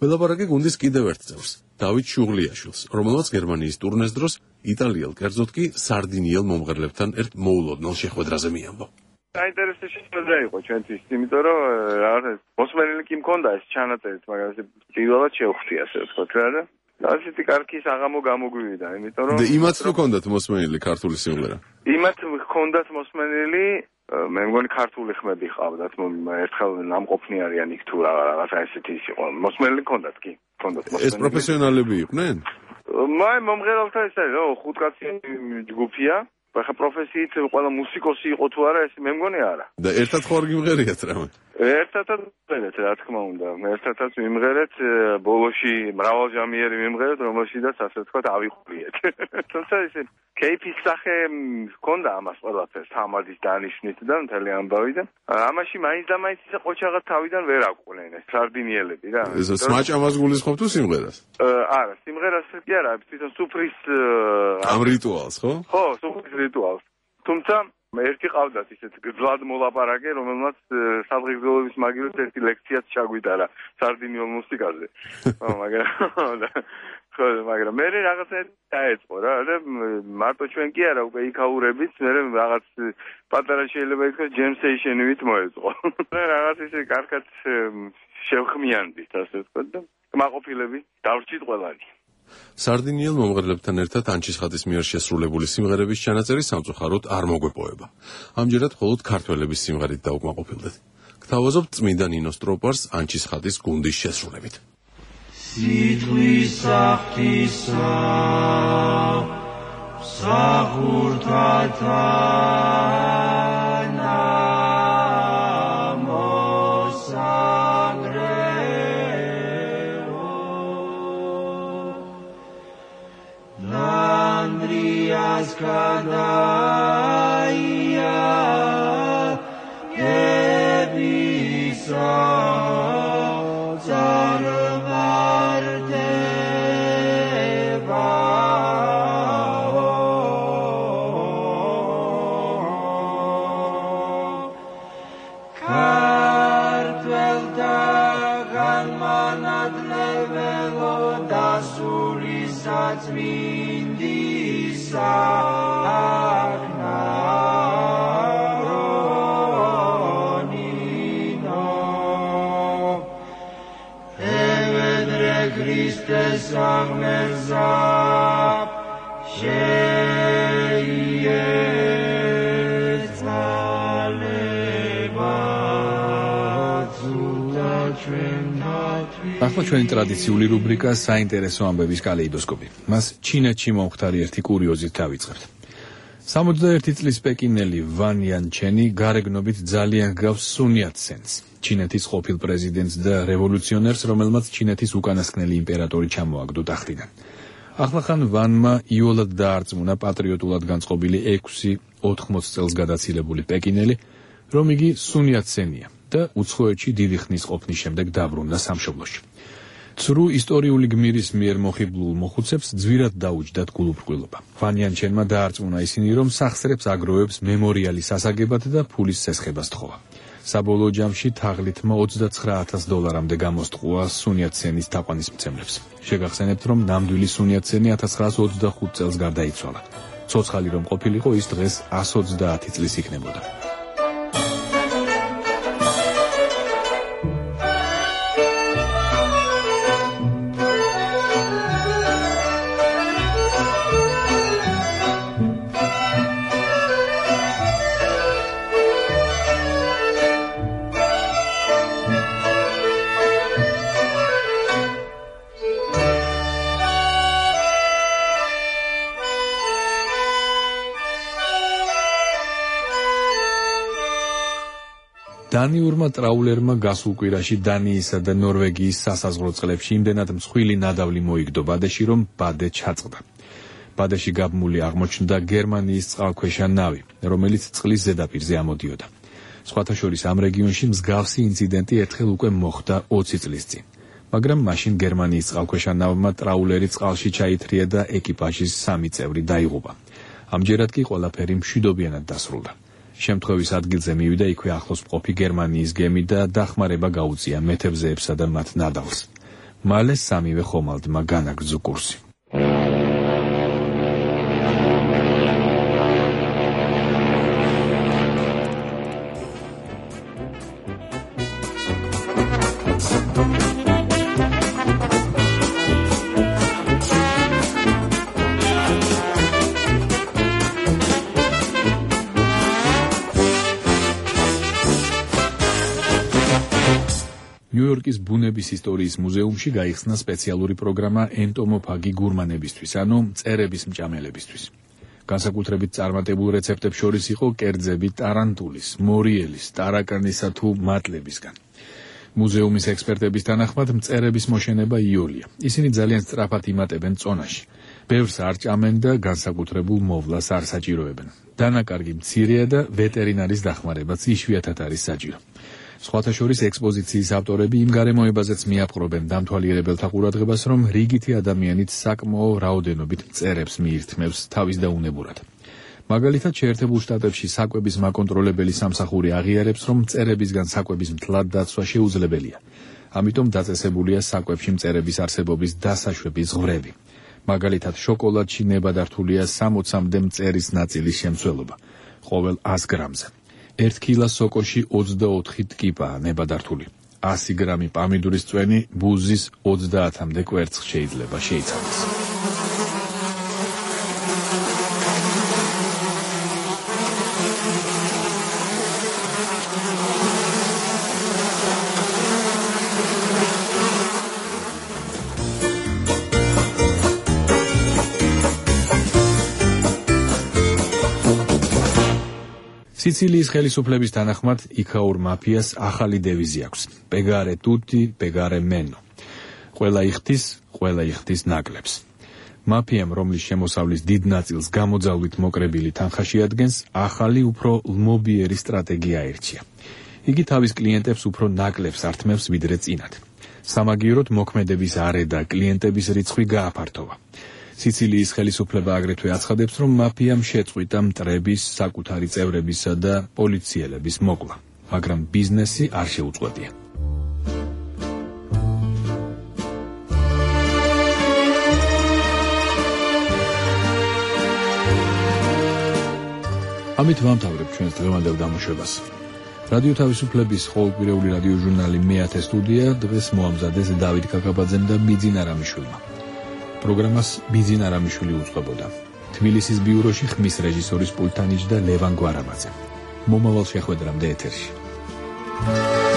ველაპარაკე გუნდის კიდევ ერთ წევრს, დავით შუღლიაშვილს, რომელმაც გერმანიის ტურნეს დროს იტალიელ, კერძოდ კი სარდინიელ მომღერლებთან ერთ მოულოდნელ შეხვედრაზე მიამბო. საინტერესო შეხვედრა იყო ჩვენთვის, იმიტომ რომ რაღაცა მოსმენილი კი მქონდა ეს ჩანაწერით, მაგრამ ეს პირველად შევხვდი ასე ვთქვათ რა და ასეთი კარგი საღამო გამოგვივიდა, იმიტომ რომ და იმათ თუ ჰქონდათ მოსმენილი ქართული სიმღერა? იმათ ჰქონდათ მოსმენილი მე მგონი ქართული ხმები ყავდათ, ერთხელ ნამყოფნი არიან იქ თუ რაღაცა ესეთი ის იყო. მოსმენილი ჰქონდათ კი, ჰქონდათ მოსმენილი. ეს პროფესიონალები იყვნენ? მომღერალთა ეს არის, 5 კაცი ჯგუფია. ახლა პროფესიით ყველა მუსიკოსი იყო თუ არა, ეს მე მგონი არა. და ერთად ხوار გიმღერიათ რამე? ერთადაც ვიმღერეთ, რა თქმა უნდა. ერთადაც ვიმღერეთ, ბოლოში მრავალჟამიერი ვიმღერეთ, რომელშიდაც ასე ვთქვათ ავიყურიეთ. თუმცა ესე კეიფის სახე ჰქონდა ამას ყველაფერს, თამადის დანიშვნით და მთელი ამბავი და ამაში მაინც და მაინც ისე ყოჩაღად თავიდან ვერ აკვნენ ეს სარდინიელები რა. ეს სმაჭამას გულისხმობ თუ სიმღერას? არა, სიმღერას კი არა, თვითონ სუფრის ამ რიტუალს, ხო? ხო, სუფრის რიტუალს. თუმცა ერთი ყავდათ ისეთ გძლად მოლაპარაკე, რომელმაც სადღეგრძელობის მაგილით ერთი ლექციაც ჩაგვიტარა სარდინიულ მუსიკაზე. მაგრამ მე რაღაცა დაეწყო რა და მარტო ჩვენ კი არა უკვე იქაურებით, მე რაღაც პატარა შეიძლება ითქვას ჯემსეიშენივით მოეწყო. რაღაც ისე კარგად შევხმიანდით ასე ვთქვათ და კმაყოფილები დავრჩით ყველანი. სარდინიელ მომღერლებთან ერთად ანჩისხატის მიერ შესრულებული სიმღერების ჩანაწერი სამწუხაროდ არ მოგვეპოვება. ამჯერად მხოლოდ ქართველების სიმღერით დაუკმაყოფილდეთ. გთავაზობთ წმინდა ნინო სტროპარს ანჩისხატის გუნდის შესრულებით. სიტყვის საფრთხისა მსახურთათა Kadaya Gebisa Zarvardeva Kartvelta Ganmanadlevelo Dasulisat Mindisa ახლა ჩვენი ტრადიციული რუბრიკა საინტერესო ამბების კალეიდოსკოპი. მას ჩინეთში მომხდარი ერთი კურიოზით დავიწყებთ. 61 წლის პეკინელი ვან იანჩენი გარეგნობით ძალიან გავს სუნიათ სენს, ჩინეთის ყოფილ პრეზიდენტს და რევოლუციონერს, რომელმაც ჩინეთის უკანასკნელი იმპერატორი ჩამოაგდო ტახტიდან. ახლახან ვანმა იოლად დაარწმუნა პატრიოტულად განწყობილი 6-80 წელს გადაცილებული პეკინელი, რომ იგი სუნიათ სენია და უცხოეთში დიდი ხნის ყოფნის შემდეგ დაბრუნდა სამშობლოში. ცრუ ისტორიული გმირის მიერ მოხიბლულ მოხუცებს ძვირად დაუჯდათ გულუბრყვილობა. ფანიანჩენმა დაარწმუნა ისინი, რომ სახსრებს აგროვებს მემორიალის ასაგებად და ფულის სესხებას თხოვა. საბოლოო ჯამში თაღლითმა $29,000-მდე გამოსტყუა სუნიატსენის თაყვანისმცემლებს. შეგახსენებთ, რომ ნამდვილი სუნიატსენი 1925 წელს გარდაიცვალა. ცოცხალი რომ ყოფილიყო, ის დღეს 130 წლის იქნებოდა. დანიურმა ტრაულერმა გასულ კვირაში დანიისა და ნორვეგიის სასაზღვრო წყლებში იმდენად მსხვილი ნადავლი მოიგდო ბადეში, რომ ბადე ჩაწყდა. ბადეში გაბმული აღმოჩნდა გერმანიის წყალქვეშა ნავი, რომელიც წყლის ზედაპირზე ამოდიოდა. სხვათა შორის ამ რეგიონში მსგავსი ინციდენტი ერთხელ უკვე მოხდა 20 წლის წინ. მაგრამ მაშინ გერმანიის წყალქვეშა ნავმა ტრაულერი წყალში ჩაითრია და ეკიპაჟის 3 წევრი დაიღუპა. ამჯერად კი ყველაფერი მშვიდობიანად დასრულდა. შემთხვევის ადგილზე მივიდა იქვე ახლოს მყოფი გერმანიის გემი და დახმარება გაუწია მეთევზეებსა და მათ ნადავლს. მალე სამივე ხომალდმა განაგრძო კურსი. ნიუ-იორკის ბუნების ისტორიის მუზეუმში გაიხსნა სპეციალური პროგრამა ენტომოფაგი გურმანებისთვის, ანუ მწერების მჭამელებისთვის. განსაკუთრებით წარმატებულ რეცეპტებს შორის იყო კერძები ტარანტულის, მორიელის, ტარაკანისა თუ მატლებისგან. მუზეუმის ექსპერტების თანახმად მწერების მოშენება იოლია. ისინი ძალიან სწრაფად იმატებენ წონაში. ბევრს არ ჭამენ და განსაკუთრებულ მოვლას არ საჭიროებენ. დანაკარგი მცირეა და ვეტერინარის დახმარებაც იშვიათად არის საჭირო. სხვათა შორის ექსპოზიციის ავტორები იმ გარემოებაზეც მიაპყრობენ დამთვალიერებელთა ყურადღებას, რომ რიგითი ადამიანით საკმაო რაოდენობით მწერებს მიირთმევს თავის დაუნებურად. მაგალითად, შეერთებულ შტატებში საკვების მაკონტროლებელი სამსახური აღიარებს, რომ მწერებისგან საკვების მთლად დაცვა შეუძლებელია. ამიტომ დაწესებულია საკვებში მწერების არსებობის დასაშვების ზღვრები. მაგალითად, შოკოლადში ნებადართულია 60-მდე მწერის ნაწილის შემცველობა ყოველ 100 გრამზე. 1 კილოს სოკოში 24 ტკიპაა ნებადართული. 100 გრამი პამიდურის წვენი ბუზის 30-მდე კვერცხს შეიძლება შეიცავდეს. სიცილიის ხელისუფლების თანახმად იქაურ მაფიას ახალი დევიზი აქვს: პეგარე ტუტი, პეგარე მენო. ყველა იხდის ნაკლებს. მაფიამ, რომლის შემოსავლის დიდ ნაწილს გამოძალვით მოკრებილი თანხა შეადგენს, ახალი უფრო ლმობიერი სტრატეგია აირჩია. იგი თავის კლიენტებს უფრო ნაკლებს ართმევს ვიდრე წინათ. სამაგიეროდ მოქმედების არე და კლიენტების რიცხვი გააფართოვა. სიცილიის ხელისუფლება აგრეთვე აცხადებს, რომ მაფიამ შეწყვიტა მტრების, საკუთარი წევრებისა და პოლიციელების მოკლა, მაგრამ ბიზნესი არ შეუწყვეტია. ამით ვამთავრებ ჩვენს დღევანდელ გამოშვებას. რადიო თავისუფლების ყოველკვირეული რადიო ჟურნალი მე-10 სტუდია დღეს მოამზადეს დავით კაკაბაძემ და ბიძინა რამიშვილმა. პროგრამას ბიძინა რამიშვილი უწყებოდა. თბილისის ბიუროში ხმის რეჟისორის პულტანიჯდა ლევან გვარამაძე. მომავალ შეხვედრამდე ეთერში.